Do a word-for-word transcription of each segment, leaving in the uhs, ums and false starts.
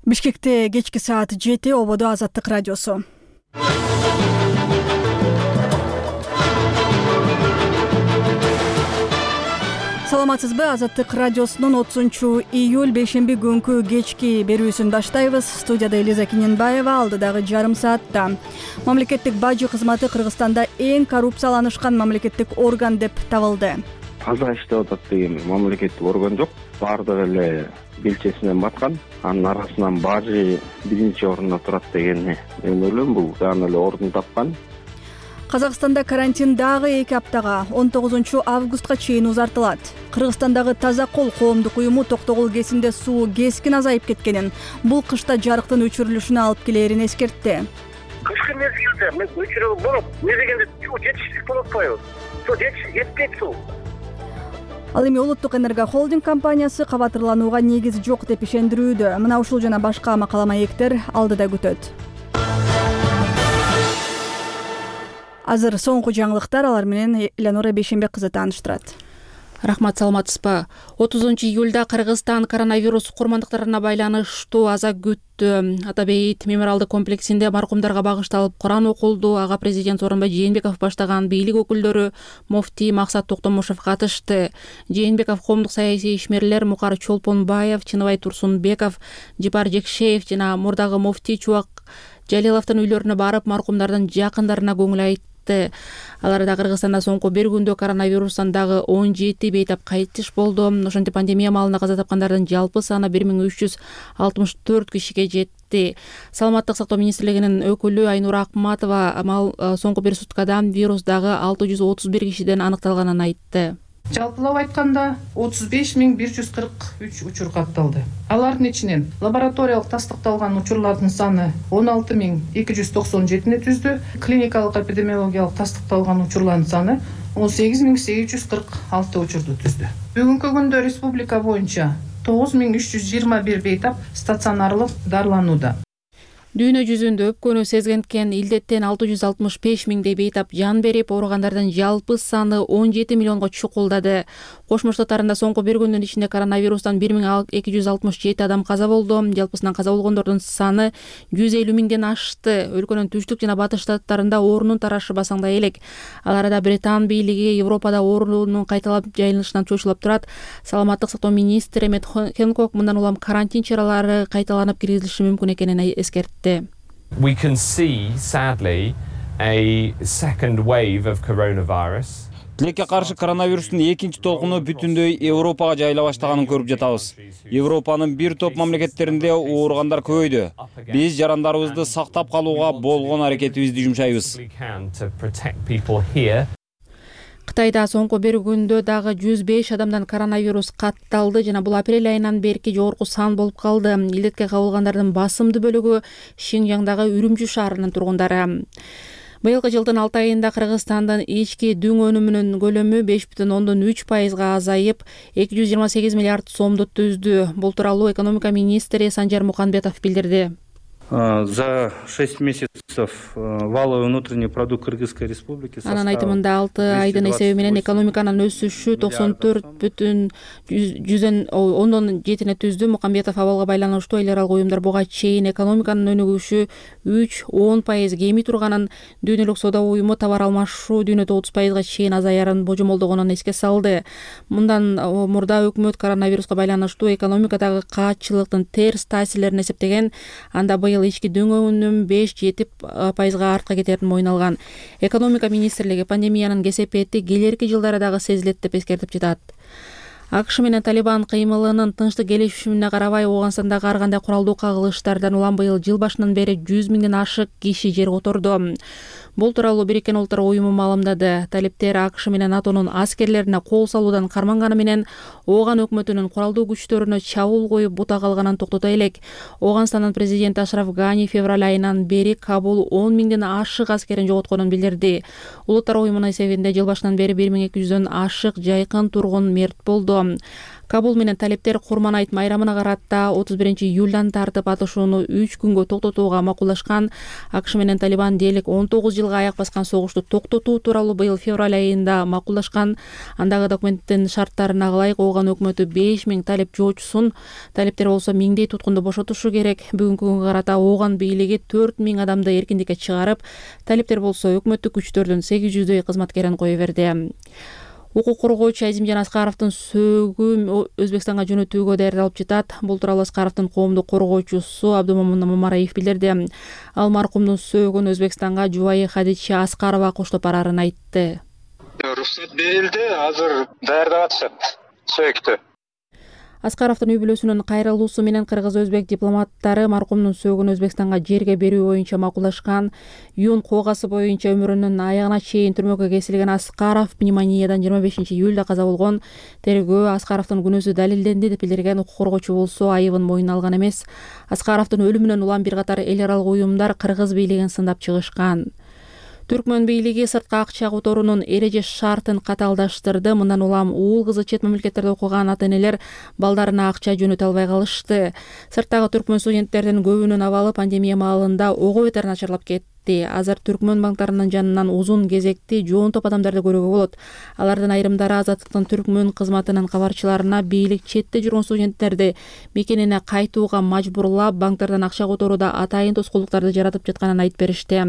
Бишкекте кечки саат жети, ободо Азаттык радиосу. Саламатсызбы? Азаттык радиосунун отузунчу июль бейшемби күнкү кечки берүүсүн баштайбыз. Студияда Элиза Киненбаева, алдыдагы жарым саатта. Мамлекеттик бажы кызматы Кыргызстанда эң коррупцияланышкан мамлекеттик орган деп табылды. Таза иштеп атат деген мамлекеттик орган жок. Баардыгы эле белчесинен баткан. Анын арасынан бажы биринчи орунда турат дегенди мен ойлойм, бул дагы эле ордун тапкан. Казакстанда карантин дагы эки аптага он тогузунчу августка чейин узартылат. Кыргызстандагы Таза кол коомдук уюму Токтогул КЭСинде суу кескин азайып кеткенин, бул кышта жарыктын өчүрүлүшүнө алып келерин эскертти. Кышкы мезгилде мен өчүрүп болуп, не дегенде суу жетишсиздик болуп атпайбы? Суу жетпейт суу. Ал эми Улуттук энерго холдинг компаниясы кабатырланууга негиз жок деп ишендирүүдө. Мына ушул жана башка макала маектер алдыда күтөт. Азыр соңку жаңылыктар, алар менен Элеонора Бейшембек кызы тааныштырат. Рахмат, саламатсызбы? отузунчу июлда Кыргызстан коронавирус курмандыктарына байланыштуу аза күттү. Атабейит мемориалдык комплексинде маркумдарга багышталып Куран окулду. Ага президент Сооронбай Жээнбеков баштаган бийлик өкүлдөрү, муфтий Максат Токтомушев катышты. Жээнбеков коомдук саясий ишмерлер Мукар Чолпонбаев, Чыныбай Турсунбеков, Жипар Жекшеев жана мурдагы муфтий Чубак Жалиловдун үйлөрүнө барып, маркумдардын жакындарына көңүл айтты. Аларда Кыргызстанда соңку бир күндө коронавирустан дагы он жети бейтап кайтыш болду. Ошентип пандемия маалында каза тапкандардын жалпы саны бир миң үч жүз алтымыш төрт кишиге жетти. Саламаттык сактоо министрлигинин өкүлү Айнура Акматова мал соңку бир суткада вирус дагы алты жүз отуз бир кишиден аныкталганын айтты. Жалпылап айтканда отуз беш миң бир жүз кырк үч учур катталды. Алардын ичинен лабораториялык тастыкталган учурлардын саны он алты миң эки жүз токсон жетини түздү. Клиникалык эпидемиологиялык тастыкталган учурлардын саны он сегиз миң сегиз жүз кырк алты учурду түздү. Бүгүнкү күндө республика боюнча тогуз миң үч жүз жыйырма бир бейтап стационарлык дарыланууда. Дүйнө жүзүндө өпкөнү сезгенткен илдеттен алты жүз алтымыш беш миңдей бейтап жан берип, ооругандардын жалпы саны он жети миллионго чукулдады. Кошмо Штаттарында соңку бир күндүн ичинде коронавирустан бир миң эки жүз алтымыш жети адам каза болду. Жалпысынан каза болгондордун саны жүз элүү миңден ашты. Өлкөнүн түштүк жана батыш штаттарында оорунун тарашы басаңдай элек. Аларда Британ бийлиги Европада оорунун кайталап жайылышынан чочулап турат. Саламаттык сактоо министри Эммет Хэнкок мындан улам карантин чаралары кайталанып киргизилиши мүмкүн экенин эскертти. We can see, sadly, a second wave of coronavirus. Тилекке каршы коронавирустун экинчи толкуну бүтүндөй Европага жайыла баштаганын көрүп жатабыз. Европанын бир топ мамлекеттеринде ооругандар көбөйдү. Биз жарандарыбызды сактап калууга болгон аракетибизди жумшайбыз. Кытайда соңку бир күндө дагы жүз беш адамдан коронавирус катталды жана бул апрель айынан берки жогорку сан болуп калды. Илдетке кабылгандардын басымдуу бөлүгү Шинжаңдагы Үрүмчү шаарынын тургундары. Быйылкы жылдын алты айында Кыргызстандын ички дүң өнүмүнүн көлөмү беш бүтүн ондон үч пайызга азайып, эки жүз жыйырма сегиз миллиард сомду түздү. Бул тууралуу экономика министри Санжар Муканбетов билдирди. За шесть месяцев валовый внутренний продукт Кыргызской республики анан айтымында алты айдын эсеби менен экономиканын өсүшү токсон төрт бүтүн жүздөн ондон жетине түздү. Муканбетов абалга байланыштуу эл аралык уюмдар буга чейин экономиканын өнүгүшү үч он пайыз кеми турганын, дүйнөлүк соода уюму товар алмашуу дүйнөдө отуз пайызга чейин азаярын божомолдогонун эске салды. Мындан мурда өкмөт коронавируска байланыштуу экономикадагы каатчылыктын терс таасирлерин эсептеген, анда быйыл ички дүң өнүм беш жети пайызга артка кетерин мойнуна алган. Экономика министрлиги пандемиянын кесепети келерки жылдары дагы сезилет деп эскертип жатат. АКШ менен Талибан кыймылынын тынчтык келишимине карабай, Ооганстандагы ар кандай куралдуу кагылыштардан улам быйыл жыл башынан бери жүз миңден ашык киши жер которду. Бул тууралуу Бириккен Улуттар уюму маалымдады. Талиптер АКШ менен НАТОнун аскерлерине кол салуудан карманганы менен Ооган өкмөтүнүн куралдуу күчтөрүнө чабуул коюп бута калганын токтото элек. Ооганстандын президенти Ашраф Гани февраль айынан бери Кабул он миңден ашык аскерин жоготконун билдирди. Улуттар уюмунун эсебинде жыл башынан бери бир миң эки жүздөн ашык жайкын тургун мерт болду. Кабул менен талептер Курман айт майрамына карата отуз биринчи июлдан тартып атышууну үч күнгө токтотууга макулдашкан. АКШ менен Талибан дээрлик он тогуз жылга аяк баскан согушту токтотуу тууралуу быйыл февраль айында макулдашкан. Андагы документтин шарттарына ылайык Ооган өкмөтү беш миң талеп жоочусун, талептер болсо миңдей туткунду бошотушу керек. Бүгүнкү күнгө карата Ооган бийлиги төрт миң адамды эркиндикке чыгарып, талептер болсо өкмөттүк күчтөрдүн сегиз жүздөй кызматкерин кое берди. Укук коргоочу Азимжан Аскаровдун сөөгү Өзбекстанга жөнөтүүгө даярдалып жатат. Бул тууралуу Аскаровдун коомдук коргоочусу Абдумомун Мамараев билдирди. Ал маркумдун сөөгүн Өзбекстанга жубайы Хадича Аскарова коштоп барарын айтты. Уруксат берилди, азыр даярдап атышат сөөктү. Аскаровдун үй бүлөсүнүн кайрылуусу менен кыргыз-өзбек дипломаттары маркумдун сөөгүн Өзбекстанга жерге берүү боюнча макулдашкан. Юн коогасы боюнча өмүрүнүн аягына чейин түрмөгө кесилген Аскаров пневмониядан жыйырма бешинчи июлда каза болгон. Тергөө Аскаровдун күнөөсү далилденди деп билдирген. Укук коргоочу болсо айыбын мойнуна алган эмес. Аскаровдун өлүмүнөн улам бир катар эл аралык уюмдар кыргыз бийлигин сындап чыгышкан. Түркмөн бийлиги сырткы акча которуунун эреже шартын каталдаштырды. Мындан улам уул кызы чет мамлекеттерде окуган ата-энелер балдарына акча жөнөтө албай калышты. Сырттагы түркмөн студенттердин көбүнүн абалы пандемия маалында ого бетер начарлап кетти. Азыр түркмөн банктарынын жанынан узун кезекти жоон топ адамдарды көрүүгө болот. Алардын айрымдары Азаттыктын түркмөн кызматынын кабарчыларына бийлик четте жүргөн студенттерди мекенине кайтууга мажбурлап, банктардан акча которууда атайын тоскоолдуктарды жаратып жатканын айтып беришти.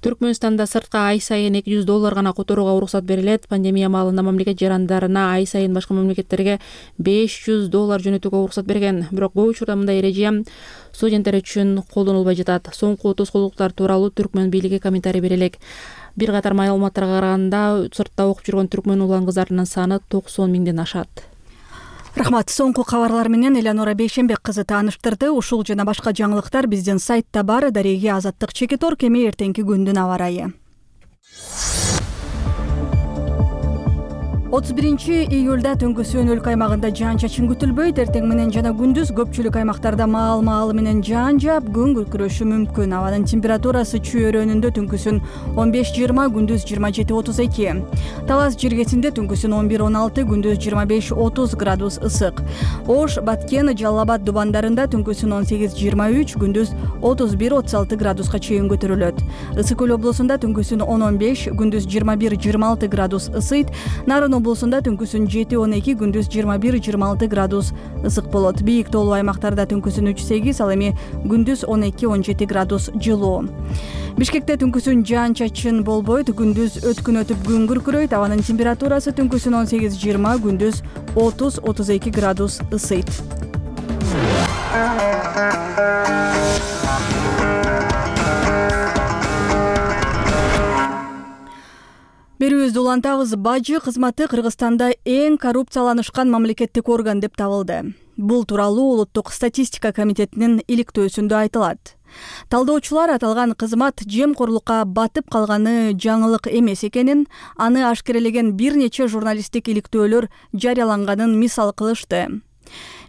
Түркмөнстанда сырткы ай сайын эки жүз доллар гана которууга уруксат берилет. Пандемия маалында мамлекет жарандарына ай сайын башка мамлекеттерге беш жүз доллар жөнөтүүгө уруксат берген. Бирок көп учурда мындай эреже студенттер үчүн колдонулбай жатат. Соңку тоскоолдуктар тууралуу түркмөн бийлиги комментарий бере элек. Бир катар маалыматтарга караганда, сыртта окуп жүргөн түркмөн улан кыздарынын саны токсон миңден ашат. Рахмат. Соңку кабарлар менен Элеонора Бейшенбек кызы тааныштырды. Ушул жана башка жаңылыктар биздин сайтта бар. Дареги Азаттык Чекитор кеме эртеңки күндүн аба ырайы. отуз биринчи июлда түнкүсүн өлкө аймагында жаан-чачын күтүлбөйт. Эртең менен жана күндүз көпчүлүк аймактарда маал-маалы менен жаан жаап, күн күркүрөшү мүмкүн. Абанын температурасы чүйөрөнүндө түнкүсүн он беш жыйырма, күндүз жыйырма жети отуз эки. Талас жиргесинде түнкүсүн он бир он алты, күндүз жыйырма беш отуз градус ысык. Ош, Баткен, Жалал Абад дубандарында түнкүсүн он сегиз жыйырма үч, күндүз отуз бир отуз алты градуска чейин көтөрүлөт. Ысык көл облусунда түнкүсүн он он беш, күндүз жыйырма бир жыйырма алты градус ысыйт. Нарын облусунда түнкүсүн жети он эки, күндүз жыйырма бир жыйырма алты градус ысык болот. Бийик тоолуу аймактарда түнкүсүн үч сегиз, ал эми күндүз он эки он жети градус жылуу. Бишкекте түнкүсүн жаан-чачын болбойт, күндүз өткүн өтүп күн күркүрөйт. Абанын температурасы түнкүсүн он сегиз жыйырма, күндүз отуз отуз эки градус ысыйт. Берүүбүздү улантабыз. Бажы кызматы Кыргызстанда эң коррупцияланышкан мамлекеттик орган деп табылды. Бул тууралуу Улуттук статистика комитетинин иликтөөсүндө айтылат. Талдоочулар аталган кызмат жемкорлукка батып калганы жаңылык эмес экенин, аны ашкерелеген бир нече журналисттик иликтөөлөр жарыяланганын мисал кылышты.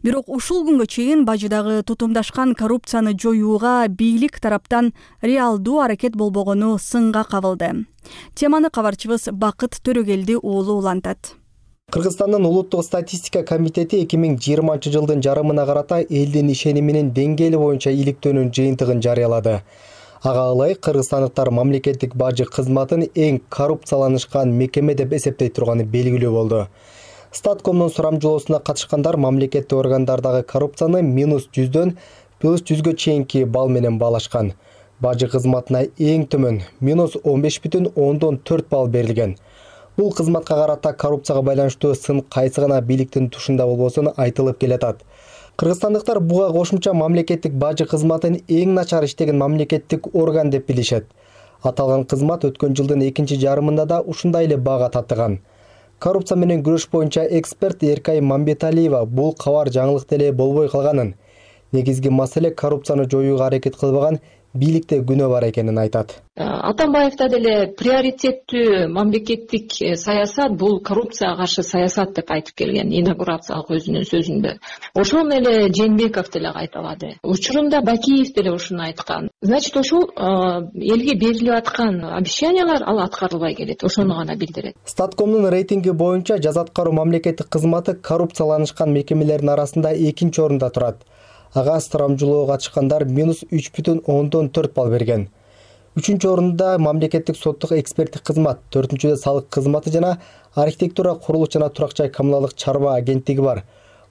Бирок ушул күнгө чейин бажыдагы тутумдашкан коррупцияны жоюуга бийлик тараптан реалдуу аракет болбогону сынга кабылды. Теманы кабарчыбыз Бакыт Төрөгелди уулу улантат. Кыргызстандын Улуттук статистика комитети эки миң жыйырманчы жылдын жарымына карата элдин ишениминин деңгээли боюнча иликтөөнүн жыйынтыгын жарыялады. Ага ылайык кыргызстандыктар мамлекеттик бажы кызматын эң коррупцияланышкан мекеме деп эсептей турганы белгилүү болду. Статкомдун сурамжылоосуна катышкандар мамлекеттик органдардагы коррупцияны минус жүздөн плюс жүзгө чейинки балл менен баалашкан. Бажы кызматына эң төмөн минус он беш бүтүн ондон төрт балл берилген. Бул кызматка карата коррупцияга байланыштуу сын кайсы гана бийликтин тушунда болбосун айтылып келатат. Кыргызстандыктар буга кошумча мамлекеттик бажы кызматын эң начар иштеген мамлекеттик орган деп билишет. Аталган кызмат өткөн жылдын экинчи жарымында да ушундай эле баага татыган. Коррупция менен күрөш боюнча эксперт Эркай Мамбеталиева бул кабар жаңылык деле болбой калганын, негизги маселе коррупцияны жоюуга аракет кылбаган бийликте күнөө бар экенин айтат. Атамбаевда деле приоритеттүү мамлекеттик саясат бул коррупцияга каршы саясат деп айтып келген инаугурациялык өзүнүн сөзүндө. Ошону эле Жээнбеков деле кайталады. Учурунда Бакиев деле ушуну айткан. Значит, ошол элге берилип аткан обещаниялар ал аткарылбай келет. Ошону гана билдирет. Статкомдун рейтинги боюнча жаза аткаруу мамлекеттик кызматы коррупцияланышкан мекемелердин арасында экинчи орунда турат. Ага сурамжылоого катышкандар минус үч бүтүн ондон төрт балл берген. Үчүнчү орунда мамлекеттик соттук эксперттик кызмат, төртүнчүдө салык кызматы жана архитектура, курулуш жана турак жай коммуналдык чарба агенттиги бар.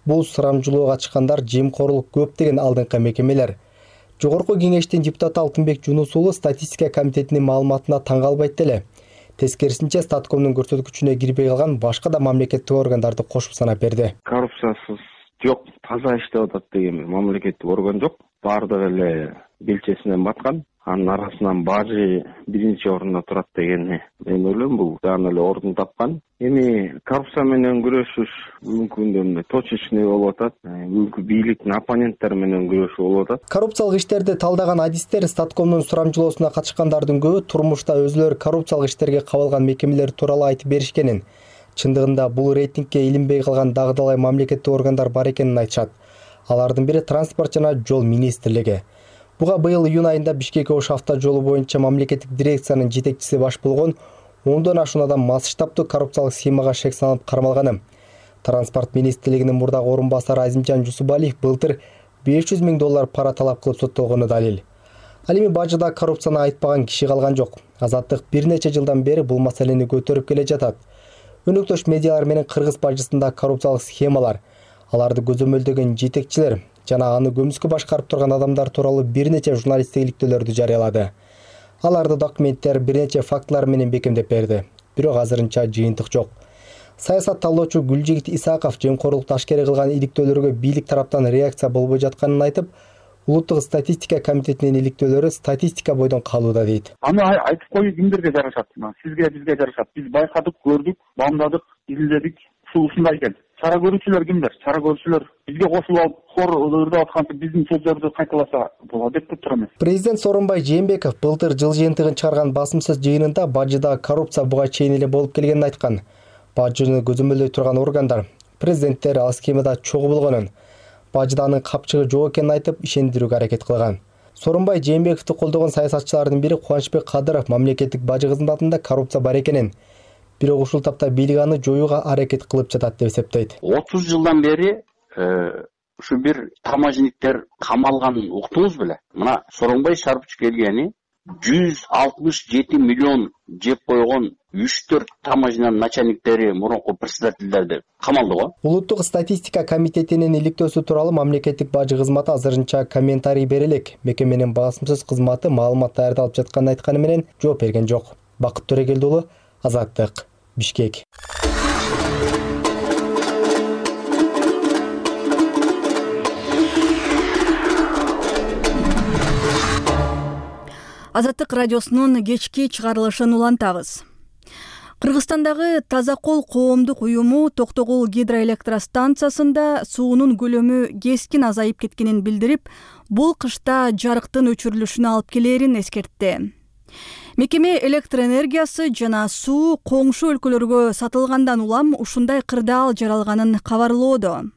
Бул сурамжылоого катышкандар жемкорлук көп деген алдыңкы мекемелер. Жогорку кеңештин депутаты Алтынбек Жунус уулу статистика комитетинин маалыматына таң калбайт деле. Тескерисинче, Статкомдун көрсөткүчүнө кирбей калган башка да мамлекеттик органдарды кошуп санап берди. Коррупциясыз жок, таза иштеп атат деген мамлекеттик орган жок. Баардыгы эле белчесинен баткан. Анын арасынан бажы биринчи орунда турат дегенди мен ойлойм, бул дагы эле ордун тапкан. Эми коррупция менен күрөшүш мүмкүндүгү точечный болуп атат. Өлкө бийликтин оппоненттери менен күрөшүү болуп атат. Коррупциялык иштерди талдаган адистер Статкомдун сурамжылоосуна катышкандардын көбү турмушта өзүлөрү коррупциялык иштерге кабылган мекемелер тууралуу айтып беришкенин, чындыгында бул рейтингке илинбей калган дагы талай мамлекеттик органдар бар экенин айтышат. Алардын бири транспорт жана жол министрлиги. Буга быйыл июнь айында Бишкек Ош автожолу боюнча мамлекеттик дирекциянын жетекчиси баш болгон ондон ашуун адам масштабдуу коррупциялык схемага шек салынып кармалганы. Транспорт министрлигинин мурдагы орун басары Азимжан Жусубалиев былтыр беш жүз миң доллар пара талап кылып соттолгону далил. Ал эми бажыда коррупцияны айтпаган киши калган жок. Азаттык бир нече жылдан бери бул маселени көтөрүп келе жатат. Өнөктөш медиалар менен кыргыз бажысында коррупциялык схемалар, аларды көзөмөлдөгөн жетекчилер жана аны көмүскө башкарып турган адамдар тууралуу бир нече журналисттик иликтөөлөрдү жарыялады. Аларды документтер бир нече фактылар менен бекемдеп берди. Бирок азырынча жыйынтык жок. Саясат талоочу Гүлжигит Исаков жемкорлукту ашкере кылган иликтөөлөргө бийлик тараптан реакция болбой жатканын айтып, Улуттук статистика комитетинин иликтөөлөрү статистика бойдон калууда дейт. Аны айтып коюу кимдерге жарашат? Сизге, бизге жарашат. Биз байкадык, көрдүк, бамдадык, изилдедик. Ушундай экен. Чара көрүүчүлөр кимдер? Чара көрүүчүлөр бизге кошулуп алып, хор ырдап атканча биздин сөздөрдү кайталаса болот деп турам. Президент Сооронбай Жээнбеков былтыр жыл жыйынтыгын чыгарган басымсыз жыйынында бажыда коррупция буга чейин эле болуп келгенин айткан. Бажыны көзөмөлдөй турган органдар, президенттер ал схемада чогуу болгонун, бажыда анын капчыгы жок экенин айтып, ишендирүүгө аракет кылган. Сооронбай Жээнбековду колдогон саясатчылардын бири Кубанычбек Кадыров мамлекеттик бажы кызматында коррупция бар экенин, бирок ушул тапта бийлик аны жоюуга аракет кылып жатат деп эсептейт. отуз жылдан бери ушу бир таможниктер камалганын уктуңуз беле? Мына Сооронбай Шарпыч келгени жүз алтымыш жети миллион жеп койгон үч төрт таможнянын начальниктери, мурунку председательдерди камалды го. Улуттук статистика комитетинин иликтөөсү тууралуу мамлекеттик бажы кызматы азырынча комментарий бере элек. Мекеменин басымсыз кызматы маалымат даярдалып жатканын айтканы менен жооп берген жок. Бакыт Төрөгелди уулу, Азаттык, Бишкек. Азаттык радиосунун кечки чыгарылышын улантабыз. Кыргызстандагы Таза кол коомдук уюму Токтогул гидроэлектростанциясында суунун көлөмү кескин азайып кеткенин билдирип, бул кышта жарыктын өчүрүлүшүнө алып келерин эскертти. Мекеме электр энергиясы жана суу коңшу өлкөлөргө сатылгандан улам ушундай кырдаал жаралганын кабарлоодо.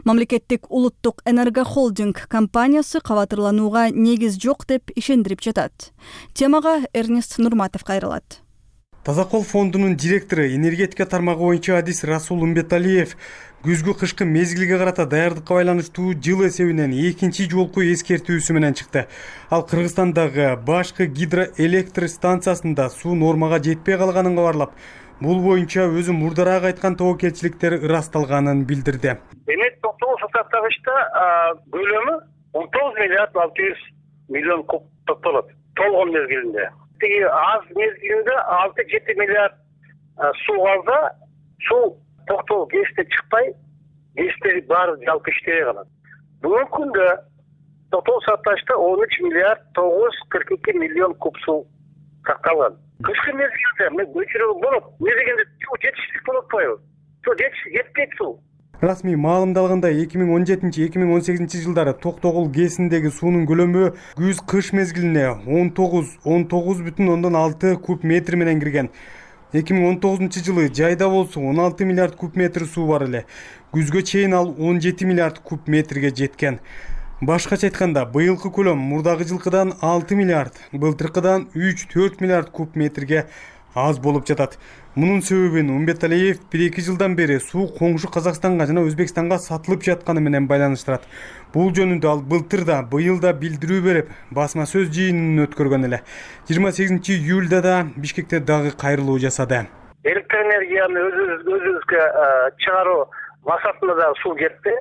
Мамлекеттик улуттук энергохолдинг компаниясы кабатырланууга негиз жок деп ишендирип жатат. Темага Эрнест Нурматов кайрылат. Таза кол фондунун директору, энергетика тармагы боюнча адис Расул Умбеталиев күзгү кышкы мезгилге карата даярдыкка байланыштуу жыл эсебинен экинчи жолку эскертүүсү менен чыкты. Ал Кыргызстандагы башкы гидроэлектр станциясында суу нормага жетпей калганын кабарлап, бул боюнча өзү мурдараак айткан тобокелчиликтер ырасталганын билдирди. Демек, Токтогул сатагычта көлөмү он тогуз миллиард алты жүз миллион куб топтолот. Толгон мезгилинде. Тиги аз мезгилинде алты жети миллиард суу калса, суу Токтогул ГЭСте чыкпай, ГЭСтери баары жалпы иштебей калат. Бүгүнкү күндө Токтогул сатагычта он үч миллиард тогуз жүз кырк эки миллион куб суу сакталган. Кышкы мезгилде өчүрүү болот. Не дегенде суу жетишсиздик болуп атпайбы? Суу жетишсиз жетпейт суу. Расмий маалымдалгандай эки миң он жетинчи эки миң он сегизинчи жылдары Токтогул ГЭСиндеги суунун көлөмү күз-кыш мезгилине он тогуз он тогуз бүтүн ондон алты куб метр менен кирген. эки миң он тогузунчу жылы жайда болсо он алты миллиард куб метр суу бар эле. Күзгө чейин ал он жети миллиард куб метрге жеткен. Башкача айтканда, быйылкы көлөм мурдагы жылкыдан алты миллиард, былтыркыдан үч төрт миллиард куб метрге аз болуп жатат. Мунун себебин Умбеталиев бир эки жылдан бери суу коңшу Казакстанга жана Өзбекстанга сатылып жатканы менен байланыштырат. Бул жөнүндө ал былтыр да, быйыл да билдирүү берип, басма сөз жыйынын өткөргөн эле. жыйырма сегизинчи июлда да Бишкекте дагы кайрылуу жасады. Электр энергияны өзүбүзгө чыгаруу максатында да суу кетти.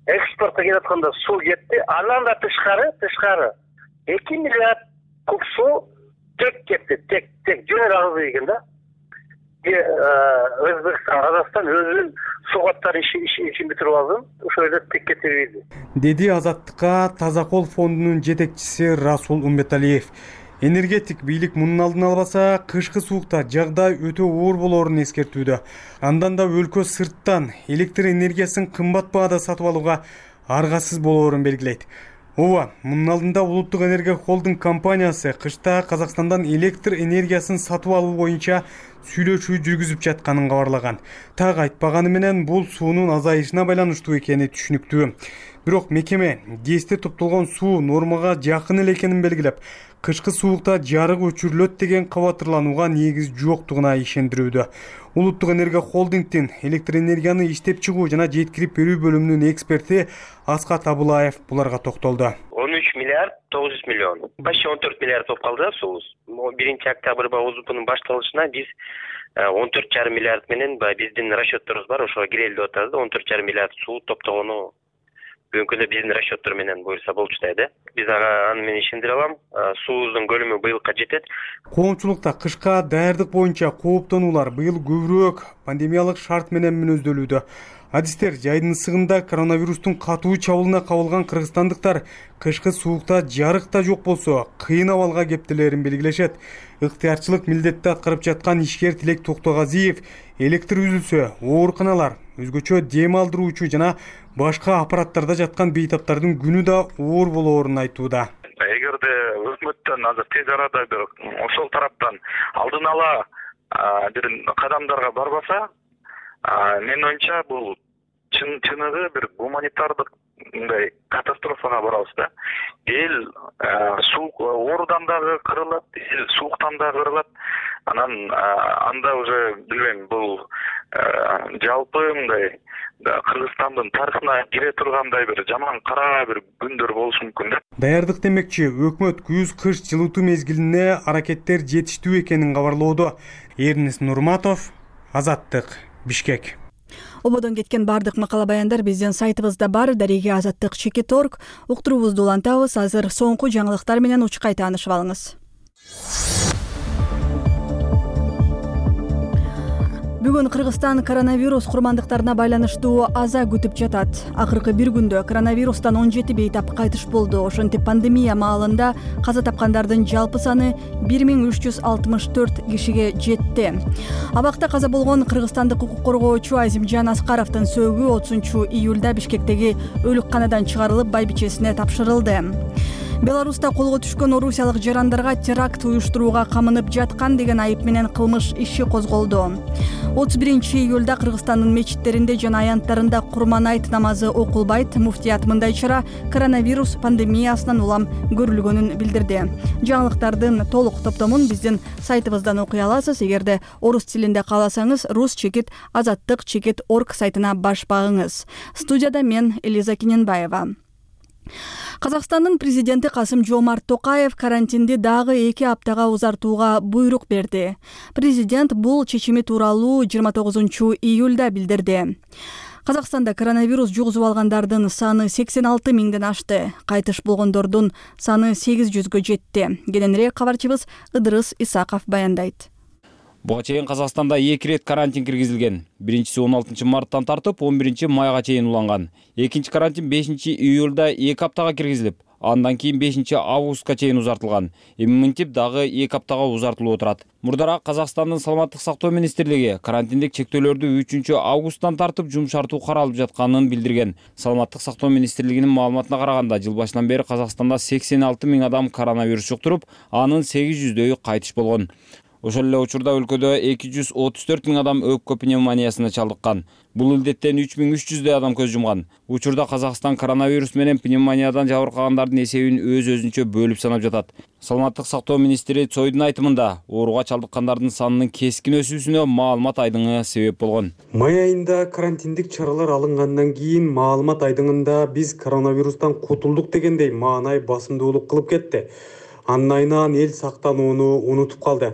Экспортко кетатканда суу кетти. Андан да тышкары, тышкары эки миллиард куб суу тек кетти, тек, тек жөнөр агызды экен да. Өзбекстан, Казакстан өзүнүн суу каттарын ишин бүтүрүп алды. Ошол жерде тек кетириби. Деди Азаттыкка Таза кол фондунун жетекчиси Расул Умбеталиев. Энергетик бийлик мунун алдын албаса, кышкы суукта жагдай өтө оор болоорун эскертүүдө. Андан да өлкө сырттан электр энергиясын кымбат баада сатып алууга аргасыз болоорун белгилейт. Ооба, мунун алдында Улуттук энергия холдинг компаниясы кышта Казакстандан электр энергиясын сатып алуу боюнча сүйлөшүү жүргүзүп жатканын кабарлаган. Так айтпаганы менен бул суунун азайышына байланыштуу экени түшүнүктүү. Бирок мекеме ГЭСте топтолгон суу нормага жакын эле экенин белгилеп, кышкы суукта жарык өчүрүлөт деген кабатырланууга негиз жоктугуна ишендирүүдө. Улуттук энергия холдингдин электр энергияны иштеп чыгуу жана жеткирип берүү бөлүмүнүн эксперти Аскат Абылаев буларга токтолду. он үч миллиард тогуз жүз миллион. Почти он төрт миллиард болуп калды да суубуз. биринчи октябрь ОЗУПнун башталышына биз он төрт жарым миллиард менен биздин расчетторубуз бар, ошого кирели деп атабыз да. он төрт жарым миллиард суу топтогону бүгүнкү күндө биздин расчеттор менен буюрса болчу да. Биз ага аны менен ишендире алам. Суубуздун көлөмү быйылга жетет. Коомчулукта кышка даярдык боюнча кооптонуулар быйыл көбүрөөк пандемиялык шарт менен мүнөздөлүүдө. Адистер жайдын ысыгында коронавирустун катуу чабуулуна кабылган кыргызстандыктар кышкы суукта жарык да жок болсо кыйын абалга кептелерин белгилешет. Ыктыярчылык милдетти аткарып жаткан ишкер Тилек Токтогазиев электр үзүлсө, ооруканалар, өзгөчө дем алдыруучу жана башка аппараттарда жаткан бейтаптардын күнү да оор болоорун айтууда. Эгерде өкмөттөн азыр тез арада бир ошол тараптан алдын ала бир кадамдарга барбаса, менин оюмча бул чын чыныгы бир гуманитардык мындай катастрофага барабыз да. Эл суук оорудан дагы кырылат, эл сууктан дагы кырылат. Анан анда уже билбейм, бул жалпы мындай Кыргызстандын тарыхына кире тургандай бир жаман кара бир күндөр болушу мүмкүн да. Даярдык демекчи, өкмөт күз-кыш жылытуу мезгилине аракеттер жетиштүү экенин кабарлоодо. Эрнис Нурматов, Азаттык, Бишкек. Ободон кеткен бардык макала баяндар биздин сайтыбызда бар. Дареги азаттык чекит точка орг. Уктуруубузду улантабыз. Азыр соңку жаңылыктар менен учкай таанышып алыңыз. Бүгүн Кыргызстан коронавирус курмандыктарына байланыштуу аза күтүп жатат. Акыркы бир күндө коронавирустан он жети бейтап кайтыш болду. Ошентип пандемия маалында каза тапкандардын жалпы саны бир миң үч жүз алтымыш төрт кишиге жетти. Абакта каза болгон кыргызстандык укук коргоочу Азимжан Аскаровдун сөөгү отузунчу июлда Бишкектеги өлүкканадан чыгарылып байбичесине тапшырылды. Беларуста колго түшкөн орусиялык жарандарга теракт уюштурууга камынып жаткан деген айып менен кылмыш иши козголду. отуз биринчи июлда Кыргызстандын мечиттеринде жана аянттарында Курман айт намазы окулбайт. Муфтият мындай чара коронавирус пандемиясынан улам көрүлгөнүн билдирди. Жаңылыктардын толук топтомун биздин сайтыбыздан окуй аласыз. Эгерде орус тилинде кааласаңыз, рус чекит азаттык чекит точка орг сайтына баш багыңыз. Студияда мен Элиза Киненбаева. Казакстандын президенти Касым-Жомарт Токаев карантинди дагы эки аптага узартууга буйрук берди. Президент бул чечими тууралуу жыйырма тогузунчу июлда билдирди. Казакстанда коронавирус жугузуп алгандардын саны сексен алты миңден ашты. Кайтыш болгондордун саны сегиз жүзгө жетти. Кененирээк кабарчыбыз Ыдырыс Исаков баяндайт. Буга чейин Казакстанда эки ирет карантин киргизилген. Биринчиси он алтынчы марттан тартып он биринчи майга чейин уланган. Экинчи карантин бешинчи июлда эки аптага киргизилип, Андан кийин бешинчи августка чейин узартылган. Эми мынтип дагы эки аптага узартылып отурат. Мурдараак Казакстандын саламаттык сактоо министрлиги карантиндик чектөөлөрдү үчүнчү августтан тартып жумшартуу каралып жатканын билдирген. Саламаттык сактоо министрлигинин маалыматына караганда, жыл башынан бери Казакстанда сексен алты миң адам коронавирус жуктуруп, анын сегиз жүздөйү кайтыш болгон. Ошол эле учурда өлкөдө эки жүз отуз төрт миң адам өпкө пневмониясына чалдыккан. Бул илдеттен үч миң үч жүздөй адам көз жумган. Учурда Казакстан коронавирус менен пневмониядан жабыркагандардын эсебин өз-өзүнчө бөлүп санап жатат. Саламаттык сактоо министри Цойдун айтымында, ооруга чалдыккандардын санынын кескин өсүүсүнө маалымат айдыңы себеп болгон. Май айында карантиндик чаралар алынгандан кийин маалымат айдыңында биз коронавирустан кутулдук дегендей маанай басымдуулук кылып кетти. Анын айынан эл сактанууну унутуп калды.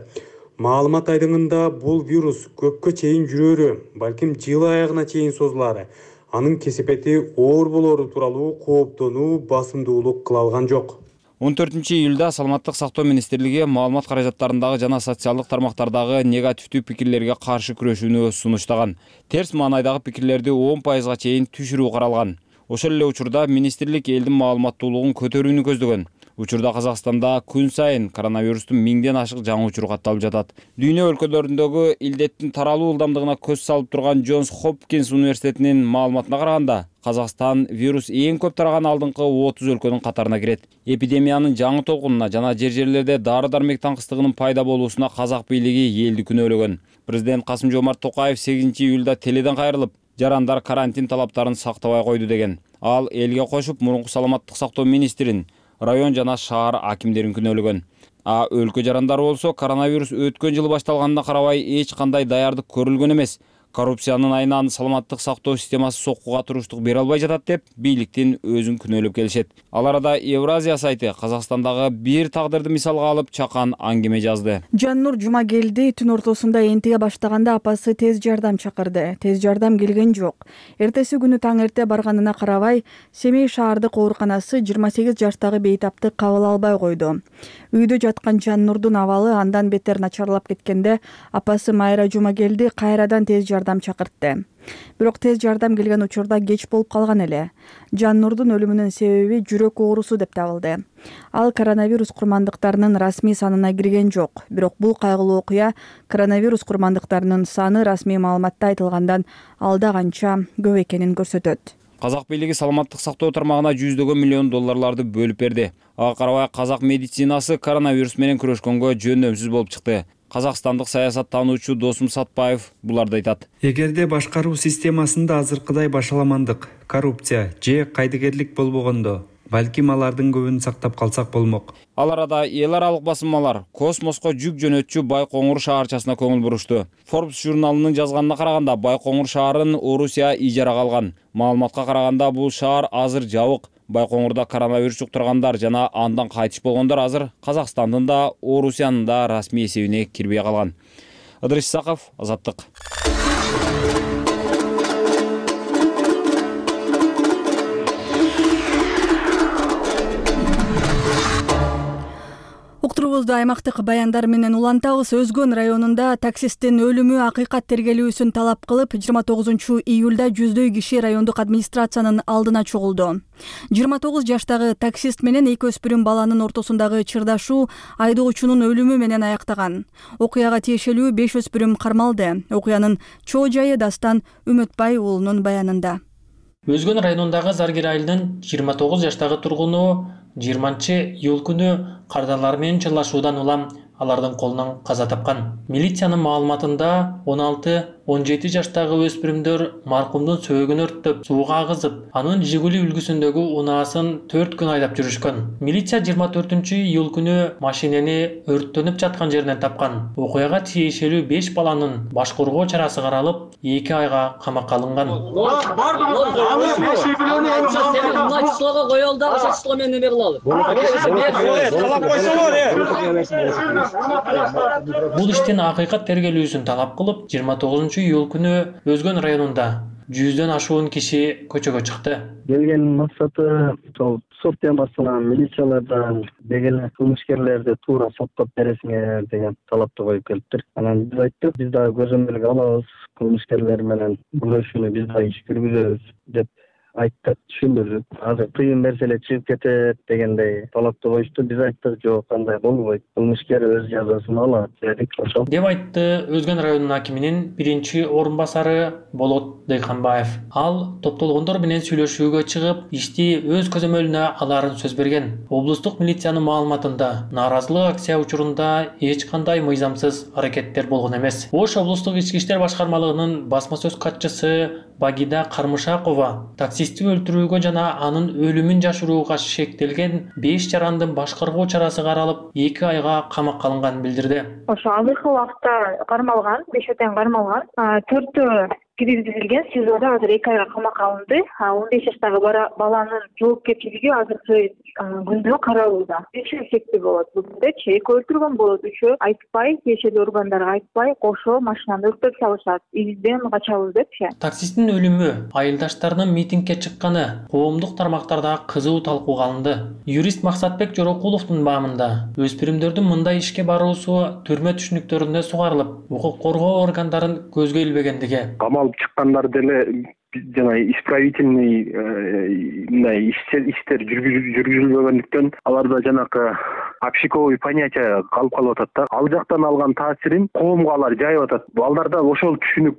Маалымат айдыңында бул вирус көпкө чейин жүрөрү, балким жыл аягына чейин созулары, анын кесепети оор болору тууралуу кооптонуу басымдуулук кыла алган жок. он төртүнчү июлда Саламаттык сактоо министрлиги маалымат каражаттарындагы жана социалдык тармактардагы негативдүү пикирлерге каршы күрөшүүнү сунуштаган. Терс маанайдагы пикирлерди он пайызга чейин түшүрүү каралган. Ошол эле учурда министрлик элдин маалыматтуулугун көтөрүүнү көздөгөн. Учурда Казакстанда күн сайын коронавирустун миңден ашык жаңы учуру катталып жатат. Дүйнө өлкөлөрүндөгү илдеттин таралуу ылдамдыгына көз салып турган Джонс Хопкинс университетинин маалыматына караганда, Казакстан вирус эң көп тараган алдыңкы отуз өлкөнүн катарына кирет. Эпидемиянын жаңы толкунуна жана жер-жерлерде дары-дармек таңкыстыгынын пайда болуусуна казак бийлиги элди күнөөлөгөн. Президент Касым-Жомарт Токаев сегизинчи июлда теледен кайрылып, жарандар карантин талаптарын сактабай койду деген. Ал элге кошуп, мурунку саламаттык сактоо министрин, район жана шаар акимдерин күнөөлөгөн. А өлкө жарандары болсо коронавирус өткөн жылы башталганына карабай эч кандай даярдык көрүлгөн эмес. Коррупциянын айынан саламаттык сактоо системасы соккуга туруштук бере албай жатат деп бийликтин өзүн күнөөлөп келишет. Ал арада Евразия сайты Казакстандагы бир тагдырды мисалга алып чакан аңгеме жазды. Жаннур Жумагелди түн ортосунда энтиге баштаганда апасы тез жардам чакырды. Тез жардам келген жок. Эртеси күнү таң эрте барганына карабай, Семей шаардык ооруканасы жыйырма сегиз жаштагы бейтапты кабыл албай койду. Үйдө жаткан Жаннурдун абалы андан бетер начарлап кеткенде, апасы Майра Жумагелди кайрадан тез жардам чакыртты. Бирок тез жардам келген учурда кеч болуп калган эле. Жаннурдун өлүмүнүн себеби жүрөк оорусу деп табылды. Ал коронавирус курмандыктарынын расмий санына кирген жок. Бирок бул кайгылуу окуя коронавирус курмандыктарынын саны расмий маалыматта айтылгандан алда канча көп экенин көрсөтөт. Казак бийлиги саламаттык сактоо тармагына жүздөгөн миллион долларларды бөлүп берди. Ага карабай казак медицинасы коронавирус менен күрөшкөнгө жөндөмсүз болуп чыкты. Казакстандык саясаттануучу Досум Сатпаев буларды айтат. Эгерде башкаруу системасында азыркыдай башаламандык, коррупция же кайдыгерлик болбогондо, балким алардын көбүн сактап калсак болмок. Ал арада эл аралык басылмалар космоско жүк жөнөтчү Байкоңур шаарчасына көңүл бурушту. Forbes журналынын жазганына караганда, Байкоңур шаарын Орусия ижарага алган. Маалыматка караганда, бул шаар азыр жабык. Байкоңурда коронавирус жуктургандар жана андан кайтыш болгондор азыр Казакстандын да, Орусиянын да расмий эсебине кирбей калган. Ыдырыс Исаков, Азаттык. Уктурубузду аймактык баяндар менен улантабыз. Өзгөн районунда таксисттин өлүмү акыйкат тергелүүсүн талап кылып, жыйырма тогузунчу июлда жүздөй киши райондук администрациянын алдына чогулду. жыйырма тогуз жаштагы таксист менен эки өспүрүм баланын ортосундагы чырдашуу айдоочунун өлүмү менен аяктаган. Окуяга тиешелүү беш өспүрүм кармалды. Окуянын чоо жайы Дастан Үмөтбай уулунун баянында. Өзгөн районундагы Заргер айылынын жыйырма тогуз жаштагы тургуну жыйырманчы июль күнү кардарлар менен чырлашуудан улам алардын колунан каза тапкан. Милициянын маалыматында он алты он жети жаштагы өспүрүмдөр маркумдун сөөгүн өрттөп, сууга агызып, анын Жигули үлгүсүндөгү унаасын төрт күн айдап жүрүшкөн. Милиция жыйырма төртүнчү июль күнү машинени өрттөнүп жаткан жеринен тапкан. Окуяга тиешелүү беш баланын баш коргоо чарасы каралып, эки айга камакка алынган. Бул иштин акыйкат тергелүүсүн талап кылып, жыйырма тогузунчу июль күнү Өзгөн районунда жүздөн ашуун киши көчөгө чыкты. Келген максаты сол сот темасына милициялардан деген кылмышкерлерди туура соттоп бересиңер деген талапты коюп келиптир. Анан биз айттык, биз дагы көзөмөлгө алабыз, кылмышкерлер менен күрөшүүнү биз дагы иш жүргүзөбүз деп айтып түшүндүрүп, азыр кыйын нерселер чыгып кетет дегендей талапты коюшту. Биз айттык, жок, кандай болбойт. Кылмышкер өз жазасын алат дедик, ошол. Деп айтты Өзгөн районунун акиминин биринчи орун басары Болот Дыйканбаев. Ал топтолгондор менен сүйлөшүүгө чыгып, ишти өз көзөмөлүнө аларын сөз берген. Облустук милициянын маалыматында нааразылык акция учурунда эч кандай мыйзамсыз аракеттер болгон эмес. Ош облустук ички иштер башкармалыгынын басма сөз катчысы Багида Кармышакова таксистти өлтүрүүгө жана анын өлүмүн жашырууга шектелген беш жарандын башкаруу чарасы каралып, эки айга камакка алынганын билдирди. Ошо азыркы убакта кармалган, беш отен кармалган, төртөө киргизилген, СИЗОдо азыр эки айга камакка алынды. он беш жаштагы баланын жоопкерчилиги азыркы күндө каралууда. Үчөө сектүү болот. Бүгүндөчү эки өлтүргөн болот, үчөө айтпай, тиешелүү органдарга айтпай, кошо машинаны өрттөп салышат. Изден качабыз депчи. Таксисттин өлүмү, айылдаштарынын митингге чыкканы коомдук тармактарда кызуу талкууга алынды. Юрист Максатбек Жорокуловдун баамында өспүрүмдөрдүн мындай ишке баруусу түрмө түшүнүктөрүнө сугарылып, укук коргоо органдарын көзгө илбегендиги. Камалып чыккандар деле жана исправительный мындай иштер жүргүзүлбөгөндүктөн аларда жанакы общиковый понятие калып калып атат да. Ал жактан алган таасирин коомго алар жайып атат. Балдарда ошол түшүнүк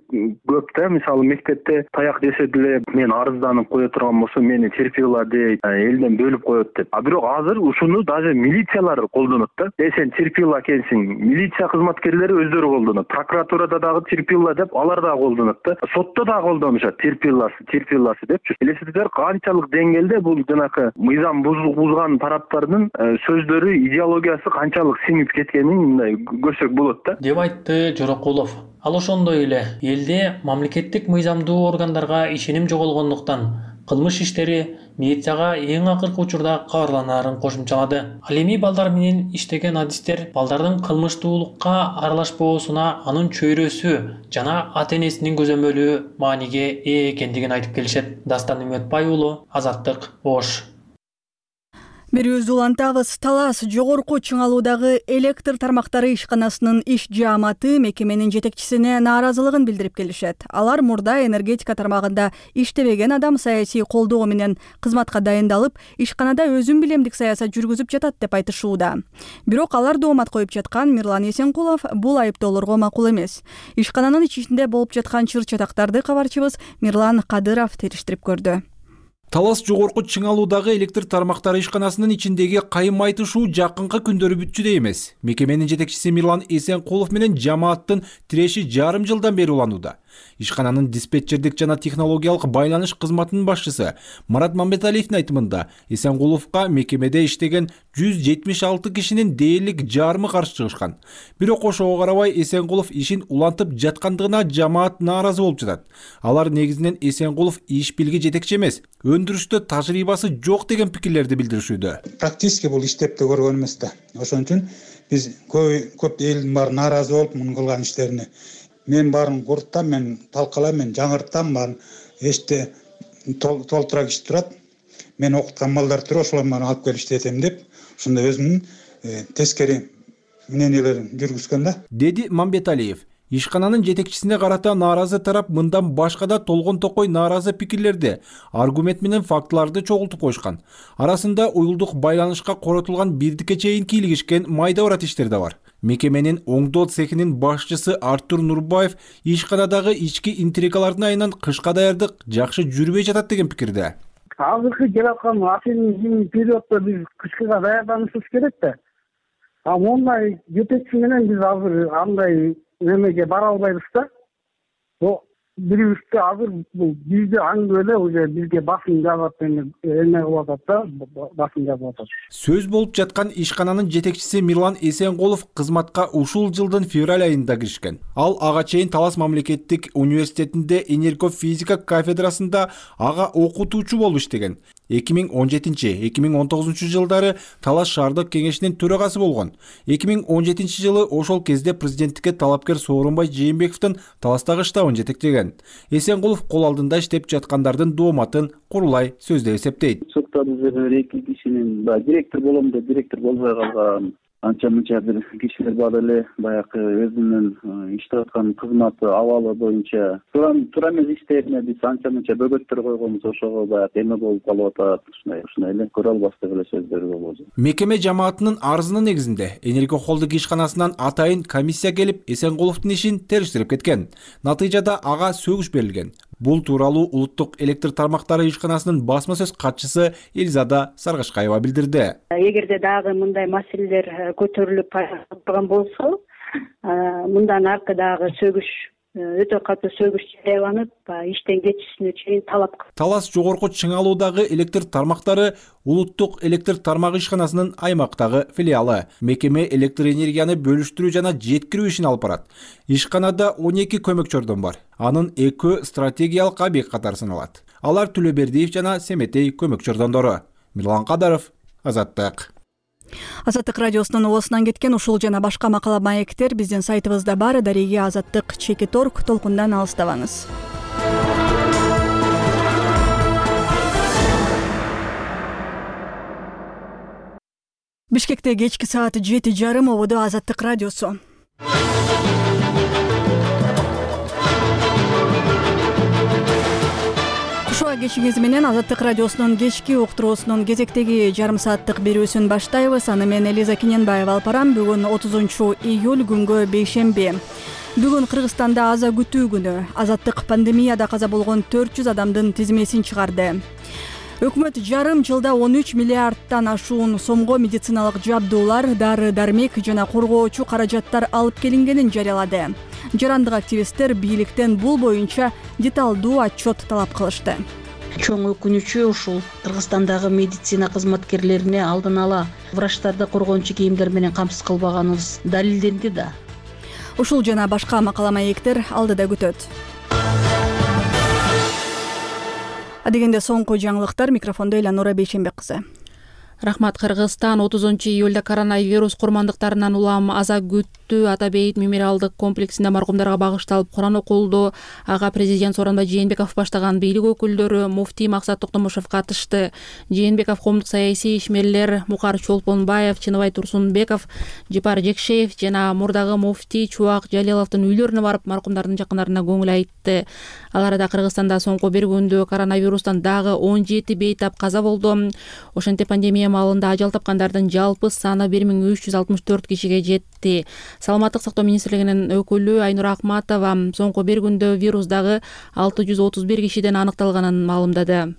көп да. Мисалы мектепте таяк жесе деле мен арызданып кое турган болсом мени терпила дейт, элден бөлүп коет деп. А бирок азыр ушуну даже милициялар колдонот да. Э сен терпила экенсиң. Милиция кызматкерлери өздөрү колдонот. Прокуратурада дагы терпила деп алар дагы колдонот да. Сотто дагы колдонушат. Терпиласы, терпиласы депчи. Элестетиңер канчалык деңгээлде бул жанакы мыйзам бузган тараптардын сөздөрү, идеологиясы канчалык сиңип кеткенин мындай көрсөк болот да. Деп айтты Жорокулов. Ал ошондой эле элде мамлекеттик мыйзамдуу органдарга ишеним жоголгондуктан кылмыш иштери милицияга эң акыркы учурда кабарланаарын кошумчалады. Ал эми балдар менен иштеген адистер балдардын кылмыштуулукка аралашпоосуна анын чөйрөсү жана ата-энесинин көзөмөлү мааниге ээ экендигин айтып келишет. Дастан Үмөтбай уулу, Азаттык, Ош. Берүүбүздү улантабыз. Талас жогорку чыңалуудагы электр тармактары ишканасынын иш жааматы мекеменин жетекчисине нааразылыгын билдирип келишет. Алар мурда энергетика тармагында иштебеген адам саясий колдоо менен кызматка дайындалып, ишканада өзүн билемдик саясат жүргүзүп жатат деп айтышууда. Бирок алар доомат коюп жаткан Мирлан Эсенкулов бул айыптоолорго макул эмес. Ишкананын ичинде болуп жаткан чыр-чатактарды кабарчыбыз Мирлан Кадыров териштирип көрдү. Талас жогорку чыңалуудагы электр тармактары ишканасынын ичиндеги кайым айтышуу жакынкы күндөрү бүтчүдөй эмес. Мекеменин жетекчиси Мирлан Эсенкулов менен жамааттын тиреши жарым жылдан бери уланууда. Ишкананын диспетчердик жана технологиялык байланыш кызматынын башчысы Марат Мамбеталиевдин айтымында Эсенкуловго мекемеде иштеген жүз жетимиш алты кишинин дээрлик жарымы каршы чыгышкан. Бирок ошого карабай Эсенкулов ишин улантып жаткандыгына жамаат нааразы болуп жатат. Алар негизинен Эсенкулов иш билги жетекчи эмес, өндүрүштө тажрыйбасы жок деген пикирлерди билдиришүүдө. Практически бул иштеп да көргөн эмес да. Ошон үчүн биз көп көп элдин баары нааразы болуп мунун кылган иштерине. Мен барын курттам, мен талкалайм, мен жаңыртам, барын эште толтура киши турат. Мен окуткан балдар туруп ошолордун баарын алып келип иштетем деп, ушундай өзүнүн тескери мнениелерин жүргүзгөн да. Деди Мамбеталиев. Ишкананын жетекчисине карата нааразы тарап мындан башка да толгон токой нааразы пикирлерди, аргумент менен фактыларды чогултуп коюшкан. Арасында уюлдук байланышка коротулган бирдикке чейин кийлигишкен майда барат иштер да бар. Мекеменин оңдоо цехинин башчысы Артур Нурбаев ишканадагы ички интригалардын айынан кышка даярдык жакшы жүрбөй жатат деген пикирде. Азыркы келаткан апрель периоддо биз кышкыга даярданышыбыз керек да. А мондай жетекчи менен биз азыр андай немеге бара албайбыз да. Бул бирибизде азыр бул бизде аңдып эле уже бизге басым жаап эме кылып атат да, басым жаап атат. Сөз болуп жаткан ишкананын жетекчиси Мирлан Эсенкулов кызматка ушул жылдын февраль айында киришкен. Ал ага чейин Талас мамлекеттик университетинде энергофизика кафедрасында ага окутуучу болуп иштеген. эки миң он жетинчи — эки миң он тогузунчу жылдары Талас шаардык кеңешинин төрагасы болгон. эки миң он жетинчи жылы ошол кезде президенттикке талапкер Сооронбай Жээнбековдун Таластагы штабын жетектеген. Эсенкулов кол алдында иштеп жаткандардын дооматын курулай сөздөй эсептейт. Соттон эки кишинин директор болом деп директор болбой калган, анча мынча бир кишилер бар эле баягы өзүнүн иштеп аткан кызматы абалы боюнча туура туура эмес иштерине биз анча мынча бөгөттөр койгонбуз, ошого баягы эме болуп калып атат. Ушундай ушундай эле көрө албастык эле сөздөр болот. Мекеме жамаатынын арызынын негизинде Энерго холдинг ишканасынан атайын комиссия келип Эсенкуловдун ишин териштирип кеткен. Натыйжада ага сөгүш берилген. Бул тууралуу Улуттук электр тармактары ишканасынын басма сөз катчысы Элизада Саргашкаева билдирди. Эгерде дагы мындай маселелер көтөрүлүп турган болсо, мындан аркы дагы сөгүш өтө катуу сөгүш жарыяланып, иштен кетишине чейин талап кылат. Талас жогорку Чыңалуудагы электр тармактары Улуттук электр тармагы ишканасынын аймактагы филиалы. Мекеме электр энергияны бөлүштүрүү жана жеткирүү ишин алып барат. Ишканада он эки көмөкчөрдөн бар. Анын экөө стратегиялык объект катары саналат. Алар Түлөбердиев жана Семетей көмөкчөрдондору. Мирлан Кадаров, Азаттык. Азаттык радиосунун оосунан кеткен ушул жана башка макала маектер биздин сайтыбызда бар. Дареги Азаттык чекит орг толкундан алыстабаңыз. Бишкекте кечки саат жети жарым ободо Азаттык радиосу. Кушуа кечиңиз менен Азаттык радиосунун кечки уктуруусунун кезектеги жарым сааттык берүүсүн баштайбыз. Аны мен Элиза Киненбаева алып барам. Бүгүн отузунчу июль күнгө бейшемби. Бүгүн Кыргызстанда аза күтүү күнү. Азаттык пандемияда каза болгон төрт жүз адамдын тизмесин чыгарды. Өкмөт жарым жылда он үч миллиардтан ашуун сомго медициналык жабдуулар, дары дармек жана коргоочу каражаттар алып келингенин жарыялады. Жарандык активисттер бийликтен бул боюнча деталдуу отчет талап кылышты. Чоң өкүнүчү ушул Кыргызстандагы медицина кызматкерлерине алдын ала врачтарды коргоончу кийимдер менен камсыз кылбаганыбыз далилденди да. Ушул жана башка макала маектер алдыда күтөт. Адегенде соңку жаңылыктар, микрофондо Эланора Бейшембек кызы. Рахмат. Кыргызстан отузунчу июлда коронавирус курмандыктарынан улам аза күттүү Ата Бейит мемориалдык комплексинде маркумдарга багышталып Куран окулду. Ага президент Сооронбай Жээнбеков баштаган бийлик өкүлдөрү, муфтий Максат Токтомушев катышты. Жээнбеков коомдук саясий ишмерлер Мукар Чолпонбаев, Чыныбай Турсунбеков, Жипар Жекшеев жана мурдагы муфтий Чубак Жалиловдун үйлөрүнө барып маркумдардын жакындарына көңүл айтты. Ал арада Кыргызстанда соңку бир күндө коронавирустан дагы он жети бейтап каза болду. Ошентип пандемия маалында ажал тапкандардын жалпы саны бир миң үч жүз алтымыш төрт кишиге жетти. Саламаттык сактоо министрлигинин өкүлү Айнура Акматова соңку бир күндө вирус дагы алты жүз отуз бир кишиден аныкталганын маалымдады.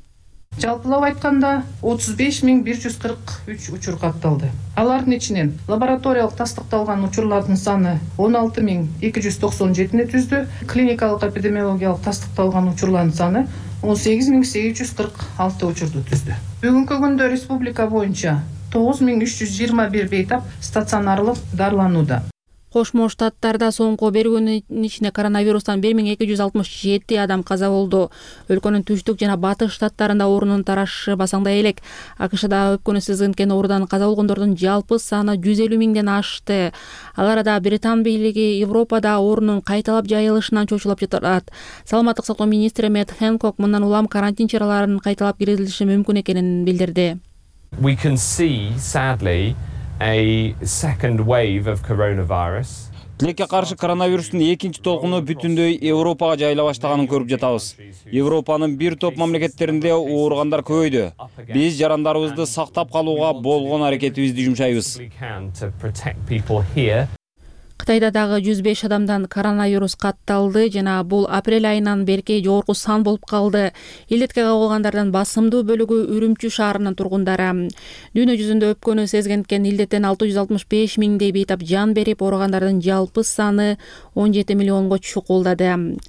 Жалпылап айтканда отуз беш миң бир жүз кырк үч учур катталды. Алардын ичинен лабораториялык тастыкталган учурлардын саны он алты миң эки жүз токсон жетини түздү. Клиникалык эпидемиологиялык тастыкталган учурлардын саны он сегиз миң сегиз жүз кырк алты учурду түздү. Бүгүнкү күндө республика боюнча тогуз миң үч жүз жыйырма бир бейтап стационарлык дарыланууда. Кошмо Штаттарда соңку бир күнүн ичинде коронавирустан бир миң эки жүз алтымыш жети адам каза болду. Өлкөнүн түштүк жана батыш штаттарында оорунун тарашы басаңдай элек. АКШда өпкөнү сызгынткен оорудан каза болгондордун жалпы саны жүз элүү миңден ашты. Ал арада Британ бийлиги Европада оорунун кайталап жайылышынан чочулап жатат. Саламаттык сактоо министри Мэтт Хэнкок мындан улам карантин чараларынын кайталап киргизилиши мүмкүн экенин билдирди. We can see, sadly, a second wave of coronavirus. Тилекке каршы коронавирустун экинчи толкуну бүтүндөй Европага жайыла баштаганын көрүп жатабыз. Европанын бир топ мамлекеттеринде ооругандар көбөйдү. Биз жарандарыбызды сактап калууга болгон аракетибизди жумшайбыз. Кытайда дагы жүз беш адамдан коронавирус катталды жана бул апрель айынан берки жогорку сан болуп калды. Илдетке кабылгандардан басымдуу бөлүгү Үрүмчү шаарынын тургундары. Дүйнө жүзүндө өпкөнү сезгенткен илдеттен алты жүз алтымыш беш миңдей бейтап жан берип, ооругандардын жалпы саны он жети миллионго чукулдады.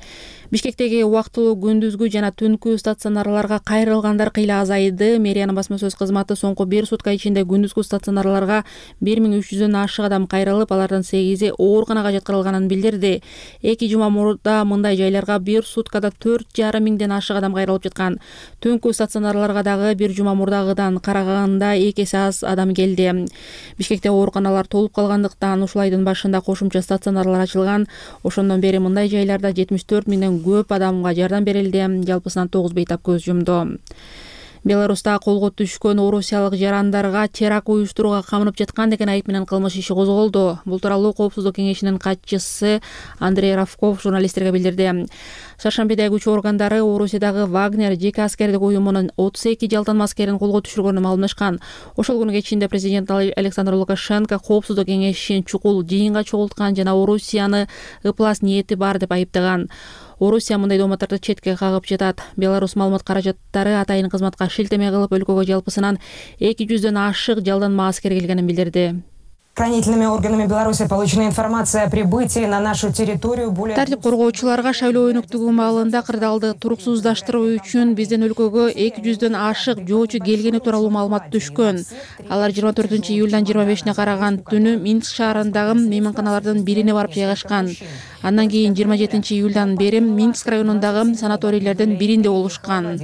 Бишкектеги убактылуу күндүзгү жана түнкү стационарларга кайрылгандар кыйла азайды. Мэриянын басма сөз кызматы соңку бир сутка ичинде күндүзгү стационарларга бир миң үч жүздөн ашык адам кайрылып, алардын сегизи ооруканага жаткырылганын билдирди. Эки жума мурда мындай жайларга бир суткада төрт жарым миңден ашык адам кайрылып жаткан. Түнкү стационарларга дагы бир жума мурдагыдан караганда эки эсе аз адам келди. Бишкекте ооруканалар толуп калгандыктан ушул айдын башында кошумча стационарлар ачылган. Ошондон бери мындай жайларда жетимиш төрт миңден көп адамга жардам берилди. Жалпысынан тогуз бейтап көз жумду. Беларуста колго түшкөн орусиялык жарандарга теракт уюштурууга камынып жаткан деген айып менен кылмыш иши козголду. Бул тууралуу Коопсуздук кеңешинин катчысы Андрей Равков журналисттерге билдирди. Шаршембиде күч органдары Орусиядагы Вагнер жеке аскердик уюмунун отуз эки жалдан аскерин колго түшүргөнүн маалымдашкан. Ошол күнү кечинде президент Александр Лукашенко Коопсуздук кеңешин чукул жыйынга чогулткан жана Орусияны ыплас ниети бар деп айыптаган. Орусия мындай дооматтарды четке кагып жатат. Беларус маалымат каражаттары атайын кызматка шилтеме кылып өлкөгө жалпысынан эки жүздөн ашык жалданма аскер келгенин билдирди. Правоохранительными органами Беларуси получена информация о прибытии на нашу территорию более... Тартип коргоочуларга шайлоо өнүктүгү маалында кырдаалды туруксуздаштыруу үчүн биздин өлкөгө эки жүздөн ашык жоочу келгени тууралуу маалымат түшкөн. Алар жыйырма төртүнчү июлдан жыйырма бешине караган түнү Минск шаарындагы мейманканалардын бирине барып жайгашкан. Андан кийин жыйырма жетинчи июлдан бери Минск районундагы санаторийлердин биринде болушкан.